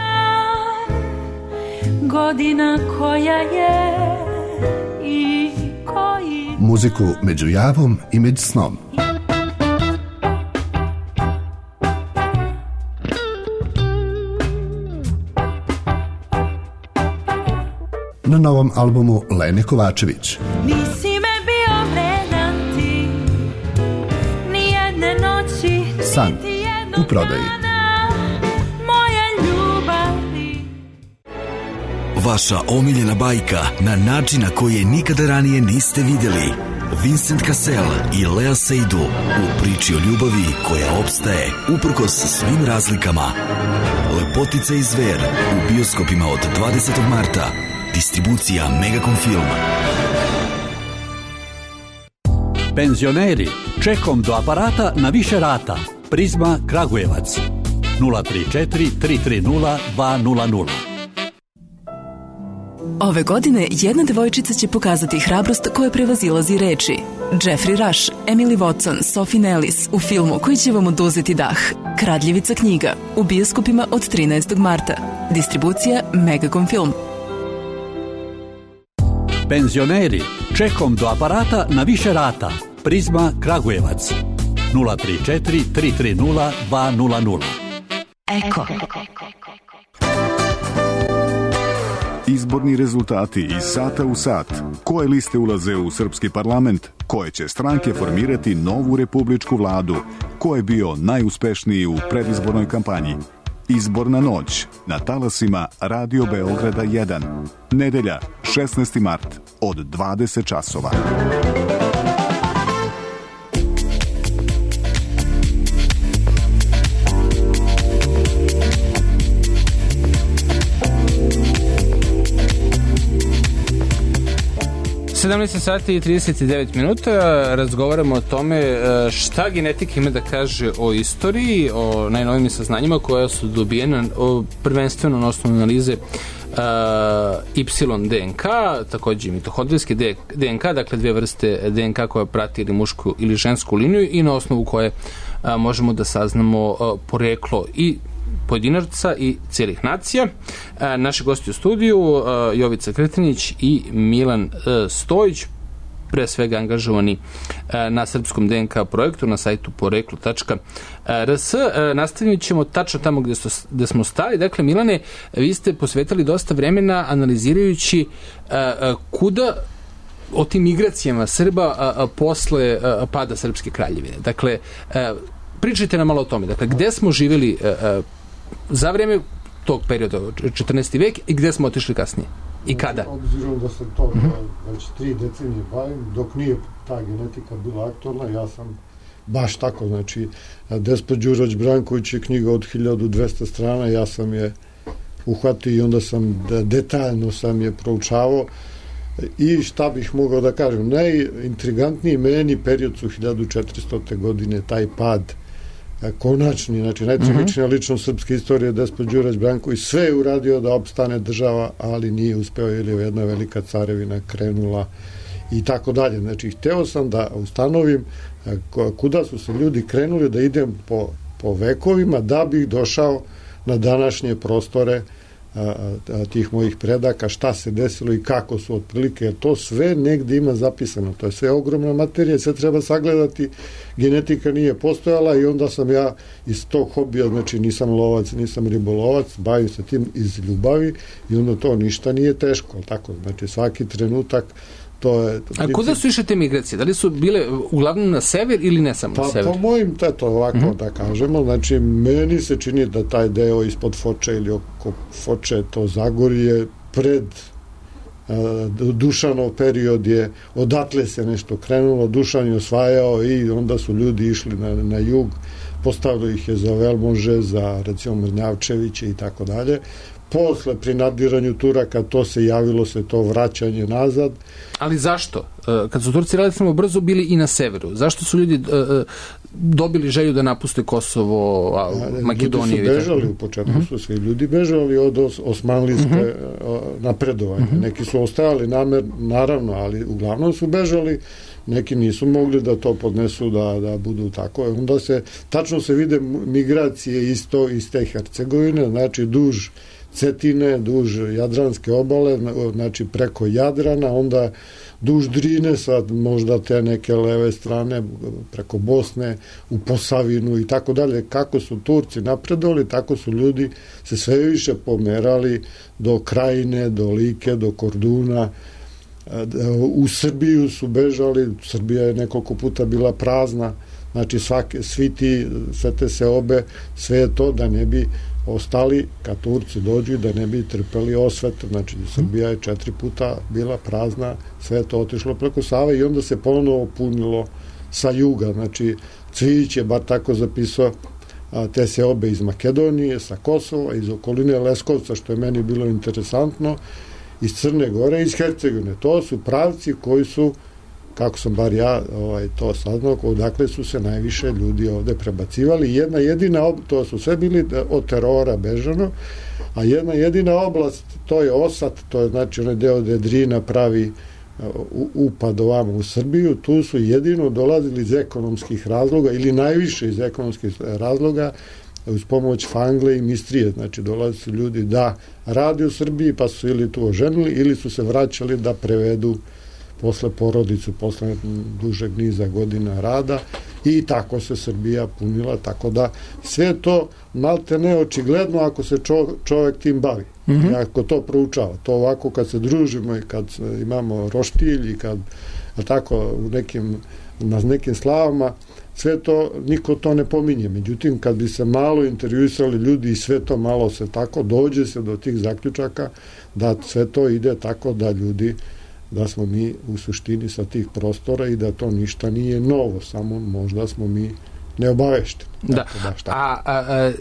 godina koja je i koji muziku među javom i među snom. Na novom albumu Lene Kovačević. nisi me bio vredan ti, ni jedne noći, San niti jednog u prodaji. dana moje ljubavi. Vaša omiljena bajka na način na koji je nikada ranije niste vidjeli. Vincent Cassel i Lea Seydoux u priči o ljubavi koja opstaje uprkos svim razlikama. Lepotica i zver u bioskopima od dvadesetog marta. Distribucija Megacom Film. Penzioneri, čekom do aparata na više rata. Prizma Kragujevac. nula tri četiri tri tri nula dva nula nula. Ove godine jedna devojčica će pokazati hrabrost koja prevazilazi reči. Jeffrey Rush, Emily Watson, Sophie Nellis u filmu koji će vam oduzeti dah. Kradljivica knjiga u bioskopima od trinaestog marta. Distribucija Megacom Film. Penzioneri, čekom do aparata na više rata. Prizma Kragujevac. nula tri četiri tri tri nula dva nula nula. Eko. Izborni rezultati iz sata u sat. Koje liste ulaze u srpski parlament? Koje će stranke formirati novu republičku vladu? Ko je bio najuspešniji u predizbornoj kampanji? Izborna noć na talasima Radio Beograda jedan. Nedelja, šesnaesti mart od dvadeset časova. sedamnaest sati i trideset devet minuta razgovaramo o tome šta genetika ima da kaže o istoriji, o najnovim saznanjima koja su dobijena prvenstveno na osnovu analize uh, Y D N K, takođe mitohondrijske D N K, dakle dve vrste D N K koja prati ili mušku ili žensku liniju i na osnovu koje uh, možemo da saznamo uh, poreklo i pojedinaca i cijelih nacija. E, naši gosti u studiju e, Jovica Krtinić i Milan e, Stojić, pre svega angažovani e, na srpskom D N K projektu na sajtu poreklo tačka r s. E, nastavit ćemo tačno tamo gde, sto, gde smo stali. Dakle, Milane, vi ste posvetali dosta vremena analizirajući e, e, kuda o tim migracijama Srba a, a, posle a, pada Srpske kraljevine. Dakle, e, pričajte nam malo o tome. Dakle, gde smo živjeli a, a, za vreme tog perioda, četrnaesti vek, i gde smo otišli kasnije? I kada? Obzirom da se to mm-hmm. već tri decenije bavim, dok nije ta genetika bila aktualna, ja sam baš tako, znači, Despot Đurović Branković je knjiga od hiljadu dvesta strana, ja sam je uhvatio i onda sam detaljno sam je proučavao i šta bih mogao da kažem, najintrigantniji meni period su hiljadu četiristote godine, taj pad konačni, znači najtragičnija ličnost srpske istorije Despot Đurović Branković, sve je uradio da opstane država, ali nije uspeo jer je jedna velika carevina krenula i tako dalje. Znači, hteo sam da ustanovim kuda su se ljudi krenuli, da idem po, po vekovima da bih došao na današnje prostore a, a, tih mojih predaka, šta se desilo i kako su otprilike, jer to sve negde ima zapisano, to je sve ogromna materija, sve treba sagledati, genetika nije postojala i onda sam ja iz tog hobija, znači nisam lovac, nisam ribolovac, bavim se tim iz ljubavi i onda to ništa nije teško, tako, znači svaki trenutak to je... A kuda su išle te migracije? Da li su bile uglavnom na sever ili ne samo pa, na sever? Po mojim, teto, ovako mm-hmm. da kažemo, znači meni se čini da taj deo ispod Foče ili oko Foče, to Zagorje, pred uh, Dušanov period je, odatle se nešto krenulo, Dušan je osvajao i onda su ljudi išli na, na jug, postavili ih je za Velmože, za recimo Mrnjavčeviće i tako dalje. Posle pri nadiranju Turaka to se javilo se to vraćanje nazad. Ali zašto? Kad su Turci relativno brzo bili i na severu, zašto su ljudi dobili želju da napuste Kosovo, a, Makedoniju? Ljudi su bežali, u početku uh-huh. su svi ljudi bežali od os, osmanlijske uh-huh. napredovanja. Uh-huh. Neki su ostajali namer, naravno, ali uglavnom su bežali, neki nisu mogli da to podnesu, da, da budu tako. Onda se, tačno se vide migracije isto iz te Hercegovine, znači duž Cetine, duž Jadranske obale, znači preko Jadrana, onda duž Drine, sad možda te neke leve strane, preko Bosne, u Posavinu i tako dalje. Kako su Turci napredovali, tako su ljudi se sve više pomerali do Krajine, do Like, do Korduna. U Srbiju su bežali, Srbija je nekoliko puta bila prazna, znači svake, svi ti, sve te seobe, sve je to da ne bi ostali, kad Turci dođu, da ne bi trpeli osvet, znači Srbija je četiri puta bila prazna, sve je to otišlo preko Save i onda se ponovo punilo sa juga, znači Cvijić je bar tako zapisao a, te seobe iz Makedonije, sa Kosova, iz okoline Leskovca, što je meni bilo interesantno, iz Crne Gore, iz Hercegovine. To su pravci koji su, kako sam bar ja ovaj, to saznao, odakle su se najviše ljudi ovde prebacivali. Jedna jedina, to su sve bili od terora bežano, a jedna jedina oblast, to je Osat, to je znači onaj deo gde Drina pravi upad ovamo u Srbiju, tu su jedino dolazili iz ekonomskih razloga ili najviše iz ekonomskih razloga uz pomoć Fangle i Mistrije, znači dolazi su ljudi da radi u Srbiji pa su ili tu oženili ili su se vraćali da prevedu posle porodicu, posle dužeg niza godina rada i tako se Srbija punila, tako da sve to malte ne očigledno ako se čo, čovek tim bavi, mm-hmm. ako to proučava. To ovako kad se družimo i kad imamo roštilj i kad tako u nekim, na nekim slavama, sve to, niko to ne pominje. Međutim, kad bi se malo intervjuisali ljudi i sve to malo se tako, dođe se do tih zaključaka da sve to ide tako da ljudi, da smo mi u suštini sa tih prostora i da to ništa nije novo, samo možda smo mi neobavešteni. Da. Da, a, a, a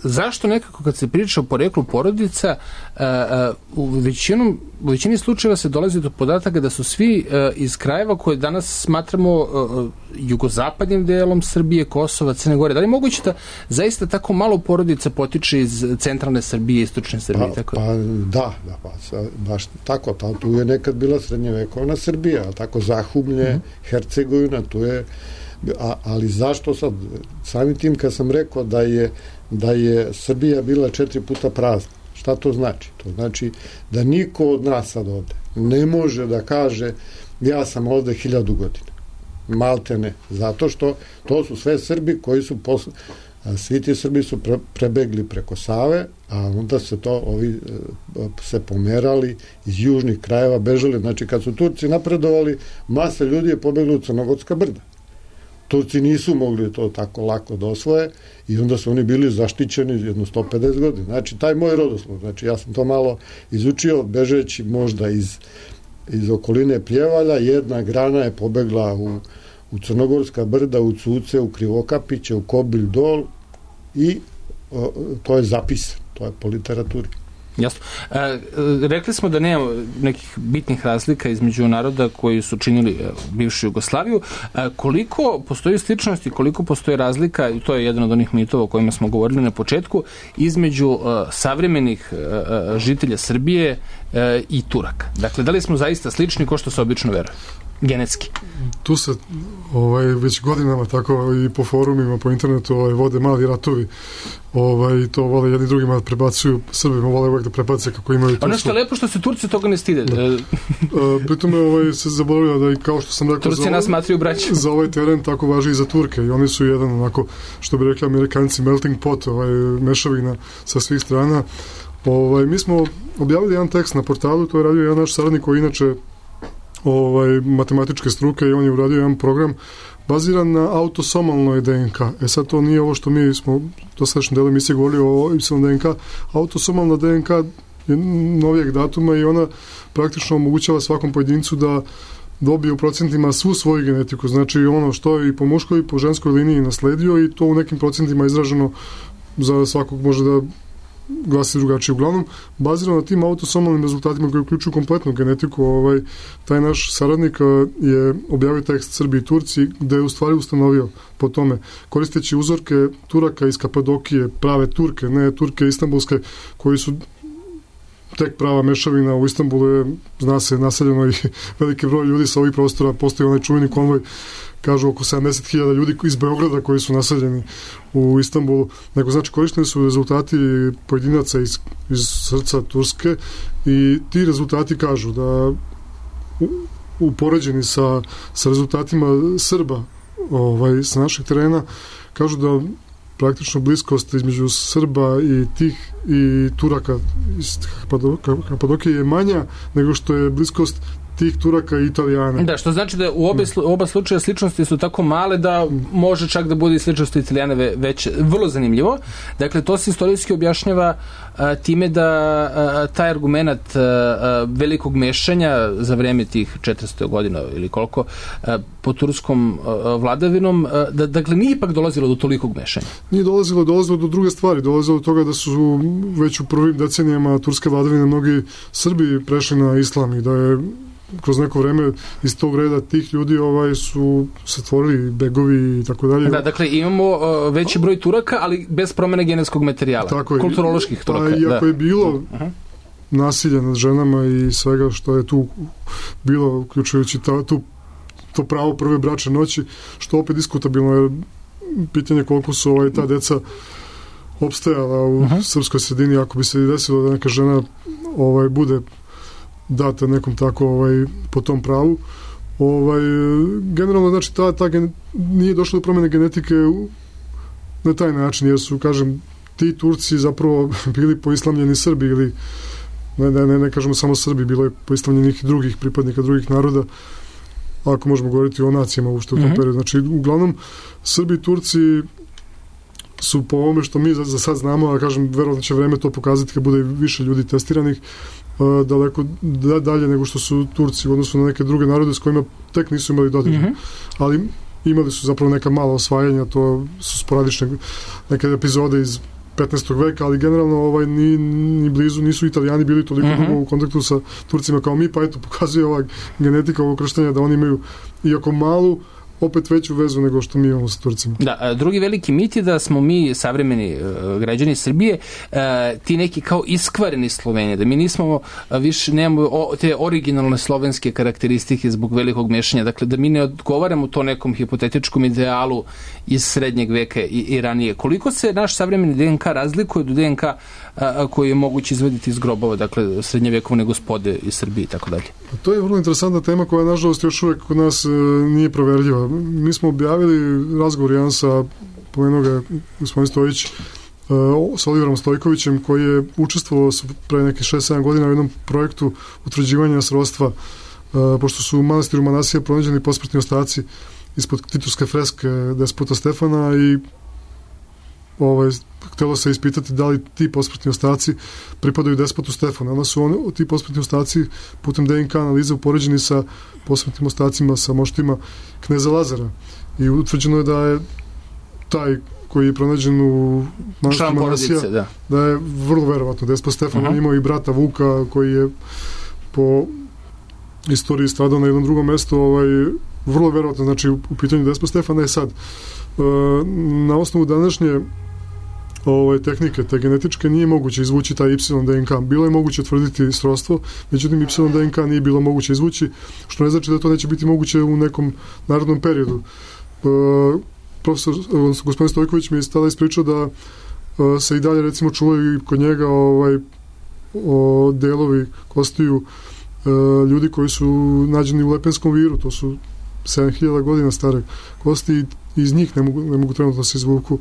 zašto nekako kad se priča o poreklu porodica, a, a, u, većinom, u većini slučajeva se dolazi do podataka da su svi a, iz krajeva koje danas smatramo a, jugozapadnim delom Srbije, Kosova, Crne Gore. Da li je moguće da zaista tako malo porodica potiče iz centralne Srbije, istočne Srbije? Pa, tako? pa da, da pa, baš tako, ta, tu je nekad bila srednjevekovna Srbija, tako Zahumlje, mm. Hercegovina, tu je A, ali zašto sad? Samim tim kad sam rekao da je, da je Srbija bila četiri puta prazna, šta to znači? To znači da niko od nas sad ovde ne može da kaže ja sam ovde hiljadu godina. Malte ne. Zato što to su sve Srbi koji su posle, svi ti Srbi su pre, prebegli preko Save, a onda se to ovi se pomerali iz južnih krajeva, bežali. Znači kad su Turci napredovali, masa ljudi je pobegla u Crnogorska brda. Turci nisu mogli to tako lako da osvoje i onda su oni bili zaštićeni jedno sto pedeset godina. Znači, taj moj rodoslov, znači ja sam to malo izučio, bežeći možda iz, iz okoline Pljevalja, jedna grana je pobegla u, u Crnogorska brda, u Cuce, u Krivokapiće, u Kobilj dol i o, to je zapisano, to je po literaturi. Jasno. E, rekli smo da nema nekih bitnih razlika između naroda koji su činili bivšu Jugoslaviju. E, koliko postoji sličnosti, koliko postoji razlika, i to je jedan od onih mitova o kojima smo govorili na početku, između e, savremenih e, žitelja Srbije e, i Turaka. Dakle, da li smo zaista slični ko što se obično veruje? Genetski. Tu se ovaj, već godinama tako i po forumima, po internetu ovaj, vode mali ratovi. Ovaj, to vole jedni drugima prebacuju, Srbima vole uvek da prebace kako imaju Tursku. Ono što je lepo što se Turci toga ne stide. Da. E, pritome ovaj, se zaboravio da i kao što sam rekao Turci za, nas ovaj, za ovaj teren tako važi i za Turke i oni su jedan onako, što bi rekli Amerikanci, melting pot, ovaj, mešavina sa svih strana. Ovaj, mi smo objavili jedan tekst na portalu, to je radio jedan naš saradnik koji inače ovaj, matematičke struke i on je uradio jedan program baziran na autosomalnoj D N K. E sad to nije ovo što mi smo do sadašnjem delu emisije govorili o Y D N K. Autosomalna D N K je novijeg datuma i ona praktično omogućava svakom pojedincu da dobije u procentima svu svoju genetiku. Znači ono što je i po muškoj i po ženskoj liniji nasledio i to u nekim procentima izraženo za svakog može da glasi drugačije. Uglavnom, bazirano na tim autosomalnim rezultatima koji uključuju kompletnu genetiku, ovaj, taj naš saradnik je objavio tekst Srbi i Turci, gde je u stvari ustanovio po tome, koristeći uzorke Turaka iz Kapadokije, prave Turke, ne Turke istambulske, koji su tek prava mešavina. U Istanbulu je, zna se, naseljeno i veliki broj ljudi sa ovih prostora, postoji onaj čuveni konvoj, kažu oko sedamdeset hiljada ljudi iz Beograda koji su naseljeni u Istanbulu. Nego, znači, korišteni su rezultati pojedinaca iz, iz srca Turske i ti rezultati kažu da u, upoređeni sa, sa rezultatima Srba ovaj, sa našeg terena, kažu da praktično bliskost između Srba i tih i Turaka iz Kapadokije je manja nego što je bliskost tih Turaka i Italijana. Da, što znači da u obe, oba slučaja sličnosti su tako male da može čak da bude i sličnosti Italijana već vrlo zanimljivo. Dakle, to se istorijski objašnjava a, time da a, taj argument a, a, velikog mešanja za vreme tih četiristo godina ili koliko a, po turskom a, vladavinom, a, da, dakle, nije ipak dolazilo do tolikog mešanja. Nije dolazilo, dolazilo do druge stvari. Dolazilo do toga da su već u prvim decenijama turske vladavine mnogi Srbi prešli na islam i da je kroz neko vreme iz tog reda tih ljudi ovaj su se stvorili begovi i tako dalje. Da, dakle imamo uh, veći broj Turaka, ali bez promene genetskog materijala. Tako kulturoloških Turaka. Pa iako da. je bilo uh-huh. nasilja nad ženama i svega što je tu bilo, uključujući ta, tu, to pravo prve bračne noći, što opet diskutabilno je pitanje koliko su ovaj, ta deca opstajala u uh-huh. srpskoj sredini, ako bi se desilo da neka žena ovaj, bude data nekom tako ovaj, po tom pravu. Ovaj, generalno, znači, ta, ta gen, nije došlo do promene genetike na taj način, jer su, kažem, ti Turci zapravo bili poislamljeni Srbi ili ne, ne, ne, ne kažemo samo Srbi, bilo je poislamljenih drugih pripadnika drugih naroda, ako možemo govoriti o nacijama uopšte u tom mm-hmm. periodu. Znači, uglavnom, Srbi i Turci su po ovome što mi za, za sad znamo, a kažem, verovatno će vreme to pokazati kad bude više ljudi testiranih, uh, daleko da, dalje nego što su Turci u odnosu na neke druge narode s kojima tek nisu imali dodir. Mm-hmm. Ali imali su zapravo neka mala osvajanja, to su sporadične neke epizode iz petnaestog veka, ali generalno ovaj, ni, ni blizu nisu Italijani bili toliko mm-hmm. u kontaktu sa Turcima kao mi, pa eto pokazuje ova genetika ovog krštenja da oni imaju iako malu, opet veću vezu nego što mi imamo sa Turcima. Da, drugi veliki mit je da smo mi savremeni uh, građani Srbije uh, ti neki kao iskvareni Sloveni, da mi nismo uh, više, nemamo o, te originalne slovenske karakteristike zbog velikog mešanja, dakle da mi ne odgovaramo to nekom hipotetičkom idealu iz srednjeg veka i, i ranije. Koliko se naš savremeni D N K razlikuje od D N K uh, koji je moguće izvaditi iz grobova, dakle srednjevekovne gospode iz Srbije i tako dalje? To je vrlo interesantna tema koja nažalost još uvek kod nas uh, nije proverljiva. Mi smo objavili razgovor jedan sa pomenuo ga gospodin Stojić uh, sa Oliverom Stojkovićem koji je učestvovao pre neke šest sedam godina u jednom projektu utvrđivanja srodstva uh, pošto su u manastiru Manasija pronađeni posmrtni ostaci ispod titovske freske despota Stefana i ovaj, htelo se ispitati da li ti posmrtni ostaci pripadaju despotu Stefana. Onda su on, ti posmrtni ostaci putem D N K analize upoređeni sa posmrtnim ostacima, sa moštima kneza Lazara. I utvrđeno je da je taj koji je pronađen u manastiru Manasija, da. da je vrlo verovatno despot Stefan. Uh-huh. On imao i brata Vuka koji je po istoriji stradao na jednom drugom mestu, ovaj, vrlo verovatno, znači u, u pitanju despot Stefana je sad. E, na osnovu današnje ovaj, tehnike, te genetičke, nije moguće izvući taj Y D N K. Bilo je moguće tvrditi srodstvo, međutim Y D N K nije bilo moguće izvući, što ne znači da to neće biti moguće u nekom narodnom periodu. E, profesor, gospodin Stojković mi je tada ispričao da e, se i dalje recimo čuvaju i kod njega ovaj, o, delovi kostiju e, ljudi koji su nađeni u Lepenskom viru, to su sedam hiljada godina stare kosti i iz njih ne mogu, ne mogu trenutno se izvuku,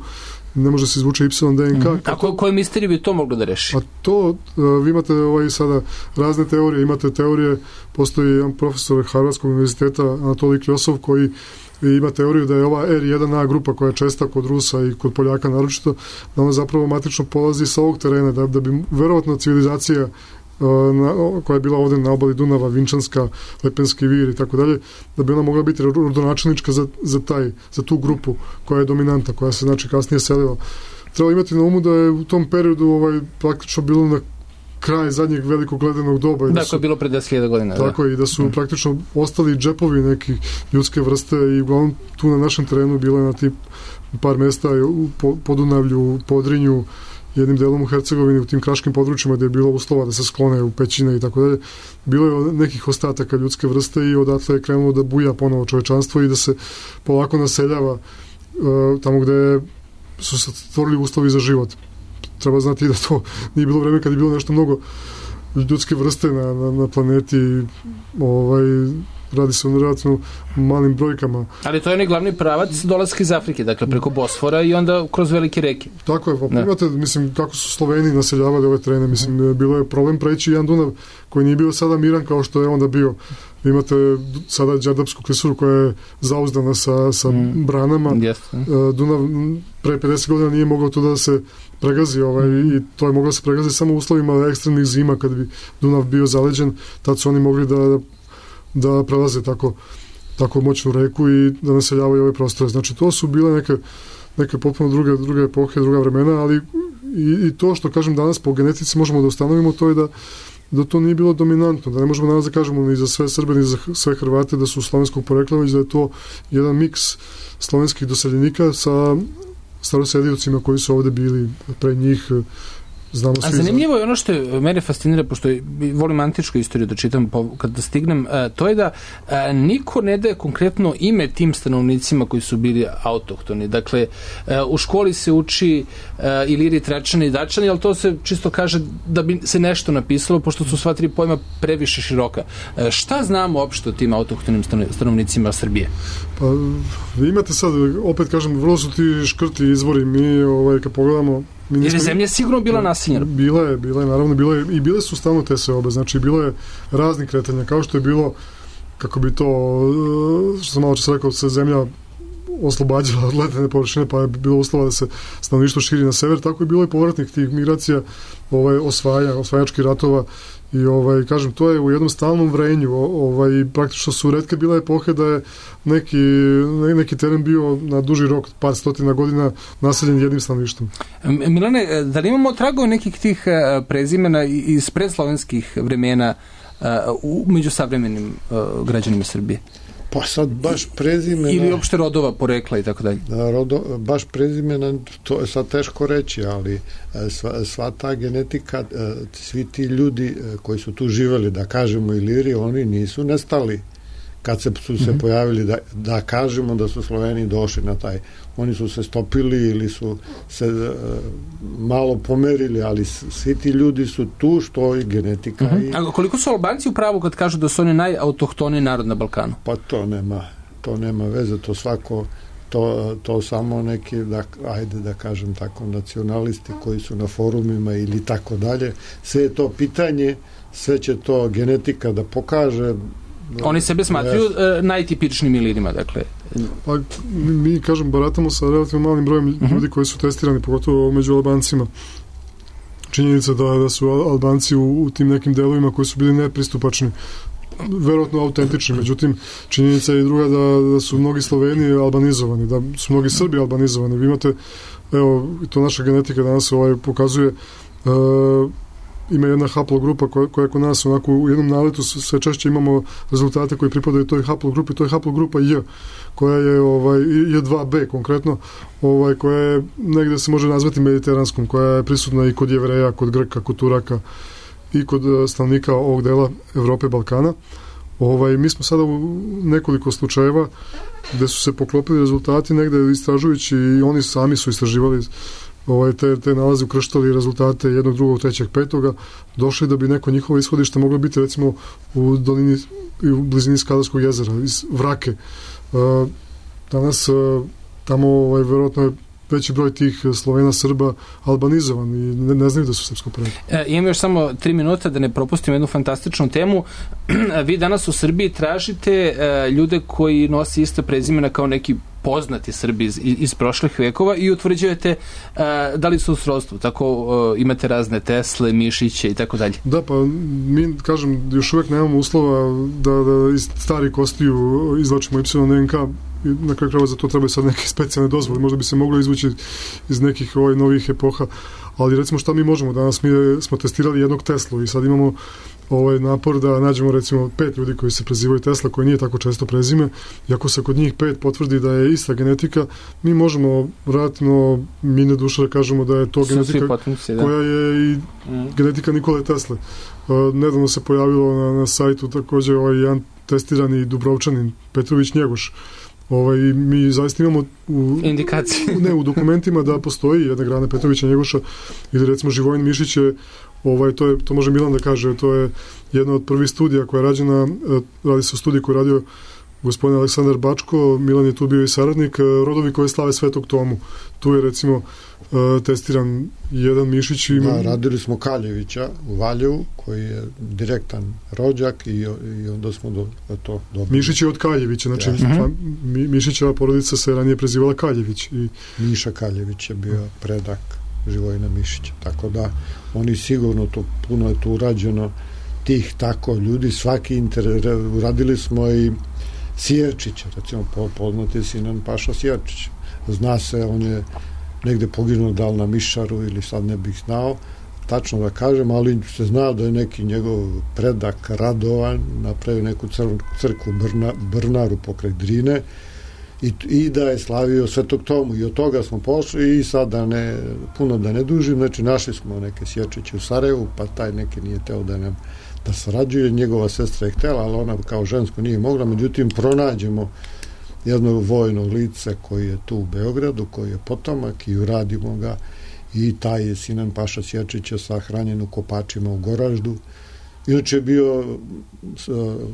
ne može se izvuče Y D N K. Mm-hmm. A ko, koje misterije bi to moglo da reši? A to, uh, vi imate ovaj, sada razne teorije, imate teorije, postoji jedan profesor Harvardskog univerziteta Anatolij Kljosov koji ima teoriju da je ova R jedan A grupa koja je česta kod Rusa i kod Poljaka naročito, da ona zapravo matično polazi sa ovog terena, da, da bi verovatno civilizacija Na, koja je bila ovde na obali Dunava, Vinčanska, Lepenski vir i tako dalje, da bi ona mogla biti rodonačelnička za, za, taj, za tu grupu koja je dominanta, koja se znači kasnije selila. Treba imati na umu da je u tom periodu ovaj, praktično bilo na kraj zadnjeg velikog ledenog doba. Da, koje je bilo pre deset hiljada godina. Tako da. je, i da su mm. praktično ostali džepovi neki ljudske vrste i uglavnom tu na našem terenu bilo je na tip par mesta u Podunavlju, Podrinju, jednim delom u Hercegovini, u tim kraškim područjima gde je bilo uslova da se sklone u pećine i tako dalje. Bilo je nekih ostataka ljudske vrste i odatle je krenulo da buja ponovo čovečanstvo i da se polako naseljava uh, tamo gde su se stvorili uslovi za život. Treba znati da to nije bilo vreme kad je bilo nešto mnogo ljudske vrste na, na, na planeti, ovaj, radi se o relativno malim brojkama. Ali to je onaj glavni pravac dolaska iz Afrike, dakle preko Bosfora i onda kroz velike reke. Tako je, pa imate, mislim, kako su Sloveni naseljavali ove terene, mislim, bilo je problem preći jedan Dunav koji nije bio sada miran kao što je onda bio. Imate sada Đerdapsku klisuru koja je zauzdana sa, sa mm. branama. Yes. Dunav pre pedeset godina nije mogao tu da se pregazi ovaj, mm. i to je moglo da se pregazi samo u uslovima ekstremnih zima kad bi Dunav bio zaleđen, tad su oni mogli da da prelaze tako, tako moćnu reku i da naseljavaju ove prostore. Znači, to su bile neke, neke potpuno druge, druge epohe, druga vremena, ali i, i to što, kažem, danas po genetici možemo da ustanovimo, to je da, da to nije bilo dominantno, da ne možemo danas da kažemo ni za sve Srbe, ni za sve Hrvate da su slovenskog porekla, već da je to jedan miks slovenskih doseljenika sa starosjedilcima koji su ovde bili pre njih. Znamo A zanimljivo je ono što je mene fascinira, pošto volim antičku istoriju da čitam kada stignem, to je da niko ne daje konkretno ime tim stanovnicima koji su bili autohtoni. Dakle, u školi se uči Iliri, Tračani i Dačani, ali to se čisto kaže da bi se nešto napisalo, pošto su sva tri pojma previše široka. Šta znamo uopšte o tim autohtonim stanovnicima Srbije? Pa, vi imate sad, opet kažem, vrlo su ti škrti izvori. Mi, ovaj, kad pogledamo, jer je zemlja sigurno bila naseljena. Bila je, bila je, naravno, bila je, i bile su stalno te seobe, znači bilo je raznih kretanja, kao što je bilo, kako bi to, što sam malo čas rekao, se zemlja oslobađala od ledene površine, pa je bilo uslova da se stanovništvo širi na sever, tako je bilo i povratnih tih migracija, ovaj, osvaja, osvajačkih ratova i ovaj, kažem, to je u jednom stalnom vrenju, ovaj, praktično su retke bile epohe da je neki, neki teren bio na duži rok, par stotina godina naseljen jednim stanovništvom. Milane, da li imamo tragove nekih tih prezimena iz predslovenskih vremena među savremenim građanima Srbije? Pa sad baš prezimena... Ili uopšte rodova, porekla i tako dalje. Rodo, baš prezimena, to je sad teško reći, ali sva, sva ta genetika, svi ti ljudi koji su tu živeli, da kažemo Iliri, oni nisu nestali kad se, su se mm-hmm. pojavili, da, da kažemo da su Sloveni došli na taj. Oni su se stopili ili su se uh, malo pomerili, ali svi ti ljudi su tu, što je genetika. Mm-hmm. I... A koliko su Albanci u pravu kad kažu da su oni najautohtoniji narod na Balkanu? Pa to nema, to nema veze, to svako, to, to samo neki, da, ajde da kažem tako, nacionalisti koji su na forumima ili tako dalje. Sve je to pitanje, sve će to genetika da pokaže. Oni sebe smatruju yes. uh, najtipičnim Ilirima, dakle. Pa, mi, mi, kažem, baratamo sa relativno malim brojem uh-huh. ljudi koji su testirani, pogotovo među Albancima. Činjenica da, da su Albanci u, u tim nekim delovima koji su bili nepristupačni, verovatno autentični, međutim, činjenica je i druga da, da su mnogi Sloveni albanizovani, da su mnogi Srbi albanizovani. Vi imate, evo, to naša genetika danas ovaj pokazuje, uh, ima jedna haplogrupa koja, koja kod nas onako u jednom naletu sve češće imamo rezultate koji pripadaju toj haplogrupi, to je haplogrupa J, koja je ovaj, J dva B konkretno, ovaj, koja je negde se može nazvati mediteranskom, koja je prisutna i kod Jevreja, kod Grka, kod Turaka i kod stanovnika ovog dela Evrope, Balkana. Ovaj, mi smo sada u nekoliko slučajeva gde su se poklopili rezultati negde istražujući i oni sami su istraživali ovaj, te, te nalaze, ukrštali rezultate jednog, drugog, trećeg, petoga, došli da bi neko njihovo ishodište moglo biti recimo u dolini i u blizini Skadarskog jezera, iz Vrake. Uh, danas uh, tamo ovaj, verovatno je veći broj tih Slovena, Srba albanizovan i ne, ne znaju da su srpsko poreklo. E, imam još samo tri minuta da ne propustim jednu fantastičnu temu. Vi danas u Srbiji tražite e, ljude koji nose iste prezimena kao neki poznati Srbi iz, iz prošlih vekova i utvrđujete e, da li su u srodstvu. Tako e, imate razne Tesle, Mišiće i tako dalje. Da, pa mi, kažem, još uvek nemamo uslova da, da iz stari kostiju izlačimo Y N K i na kraju krajeva za to trebaju sad neke specijalne dozvole. Možda bi se moglo izvući iz nekih ovaj, novih epoha, ali recimo šta mi možemo danas? Mi smo testirali jednog Teslu i sad imamo ovaj napor da nađemo recimo pet ljudi koji se prezivaju Tesla, koji nije tako često prezime, i ako se kod njih pet potvrdi da je ista genetika, mi možemo vratno mine duša da kažemo da je to Su genetika potenci, da. koja je i mm. genetika Nikole Tesle. Uh, nedavno se pojavilo na, na sajtu također ovaj jedan testirani Dubrovčanin Petrović Njegoš. Ovaj, mi zaista imamo u, indikacije. U, ne, u dokumentima da postoji jedna grana Petrovića Njegoša ili recimo Živojin Mišić je, ovaj, to, je, to može Milan da kaže, to je jedna od prvih studija koja je rađena, radi se o studiji koju je radio gospodin Aleksandar Bačko, Milan je tu bio i saradnik, rodovi koje slave Svetog Tomu. Tu je recimo testiran jedan Mišić. Ima... Da, radili smo Kaljevića u Valjevu, koji je direktan rođak i, i onda smo do, to dobili. Mišić je od Kaljevića, znači ja. Mi, Mišićeva porodica se ranije prezivala Kaljević. I... Miša Kaljević je bio predak Živojina Mišića, tako da oni sigurno, to puno je tu urađeno tih tako ljudi, svaki inter... uradili smo i Sjerčića, recimo poznati Sinan Paša Sjerčić. Zna se, on je negde poginuo da li na Mišaru ili sad ne bih znao tačno da kažem, ali se zna da je neki njegov predak Radovan napravio neku cr- crkvu Brna, Brnaru pokraj Drine i, i da je slavio Svetog Tomu i od toga smo pošli i sad da ne, puno da ne dužim, znači našli smo neke Sjerčiće u Sarajevu, pa taj neki nije teo da nam da sarađuje, njegova sestra je htjela, ali ona kao žensko nije mogla, međutim pronađemo jednog vojnog lica koji je tu u Beogradu, koji je potomak i uradimo ga i taj je Sinan Paša Sjerčića sahranjen u kopačima u Goraždu. Inače je bio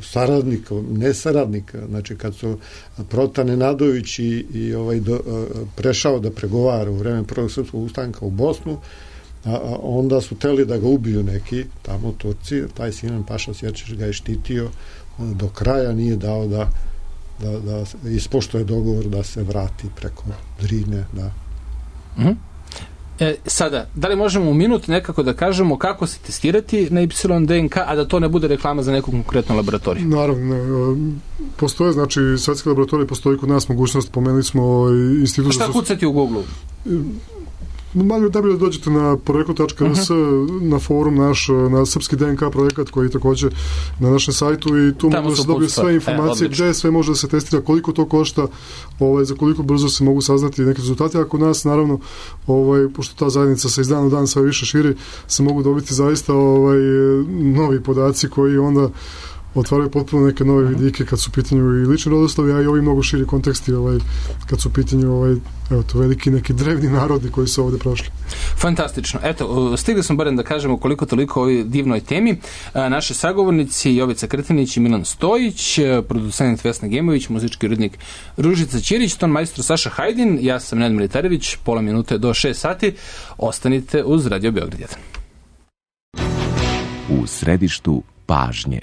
saradnik, ne saradnik, znači kad su Protan Nenadović i, i ovaj do, prešao da pregovara u vreme prvog srpskog ustanka u Bosnu, a, a onda su teli da ga ubiju neki tamo Turci, taj Sinan Paša Sjerčić ga je štitio do kraja, nije dao da da, da ispoštuje dogovor da se vrati preko Drine, da. Mm-hmm. E, sada, da li možemo u minut nekako da kažemo kako se testirati na Y D N K, a da to ne bude reklama za neku konkretnu laboratoriju? Naravno, postoje, znači svetske laboratorije, postoji kod nas mogućnost, pomenuli smo institut... A šta za... kucati u Google-u? Malo da bi da dođete na poreklo tačka r s, uh-huh. na forum naš, na srpski D N K projekat koji je također na našem sajtu i tu mogu da se dobije sve informacije, e, gde sve može da se testira, koliko to košta, ovaj, za koliko brzo se mogu saznati neke rezultate, a kod nas naravno, ovaj, pošto ta zajednica se iz dana u dan sve više širi, se mogu dobiti zaista ovaj, novi podaci koji onda otvaraju potpuno neke nove vidike kad su u pitanju i lični rodoslovi, a i ovi mnogo širi konteksti ovaj, kad su u pitanju ovaj, evo to, veliki neki drevni narodi koji su ovde prošli. Fantastično. Eto, stigli smo barem da kažemo koliko toliko o ovoj divnoj temi. Naši sagovornici Jovica Krtinić i Milan Stojić, producent Vesna Gemović, muzički urednik Ružica Ćirić, ton majstor Saša Hajdin, ja sam Nenad Militarević, pola minute do šest sati. Ostanite uz Radio Beograd jedan. U središtu pažnje.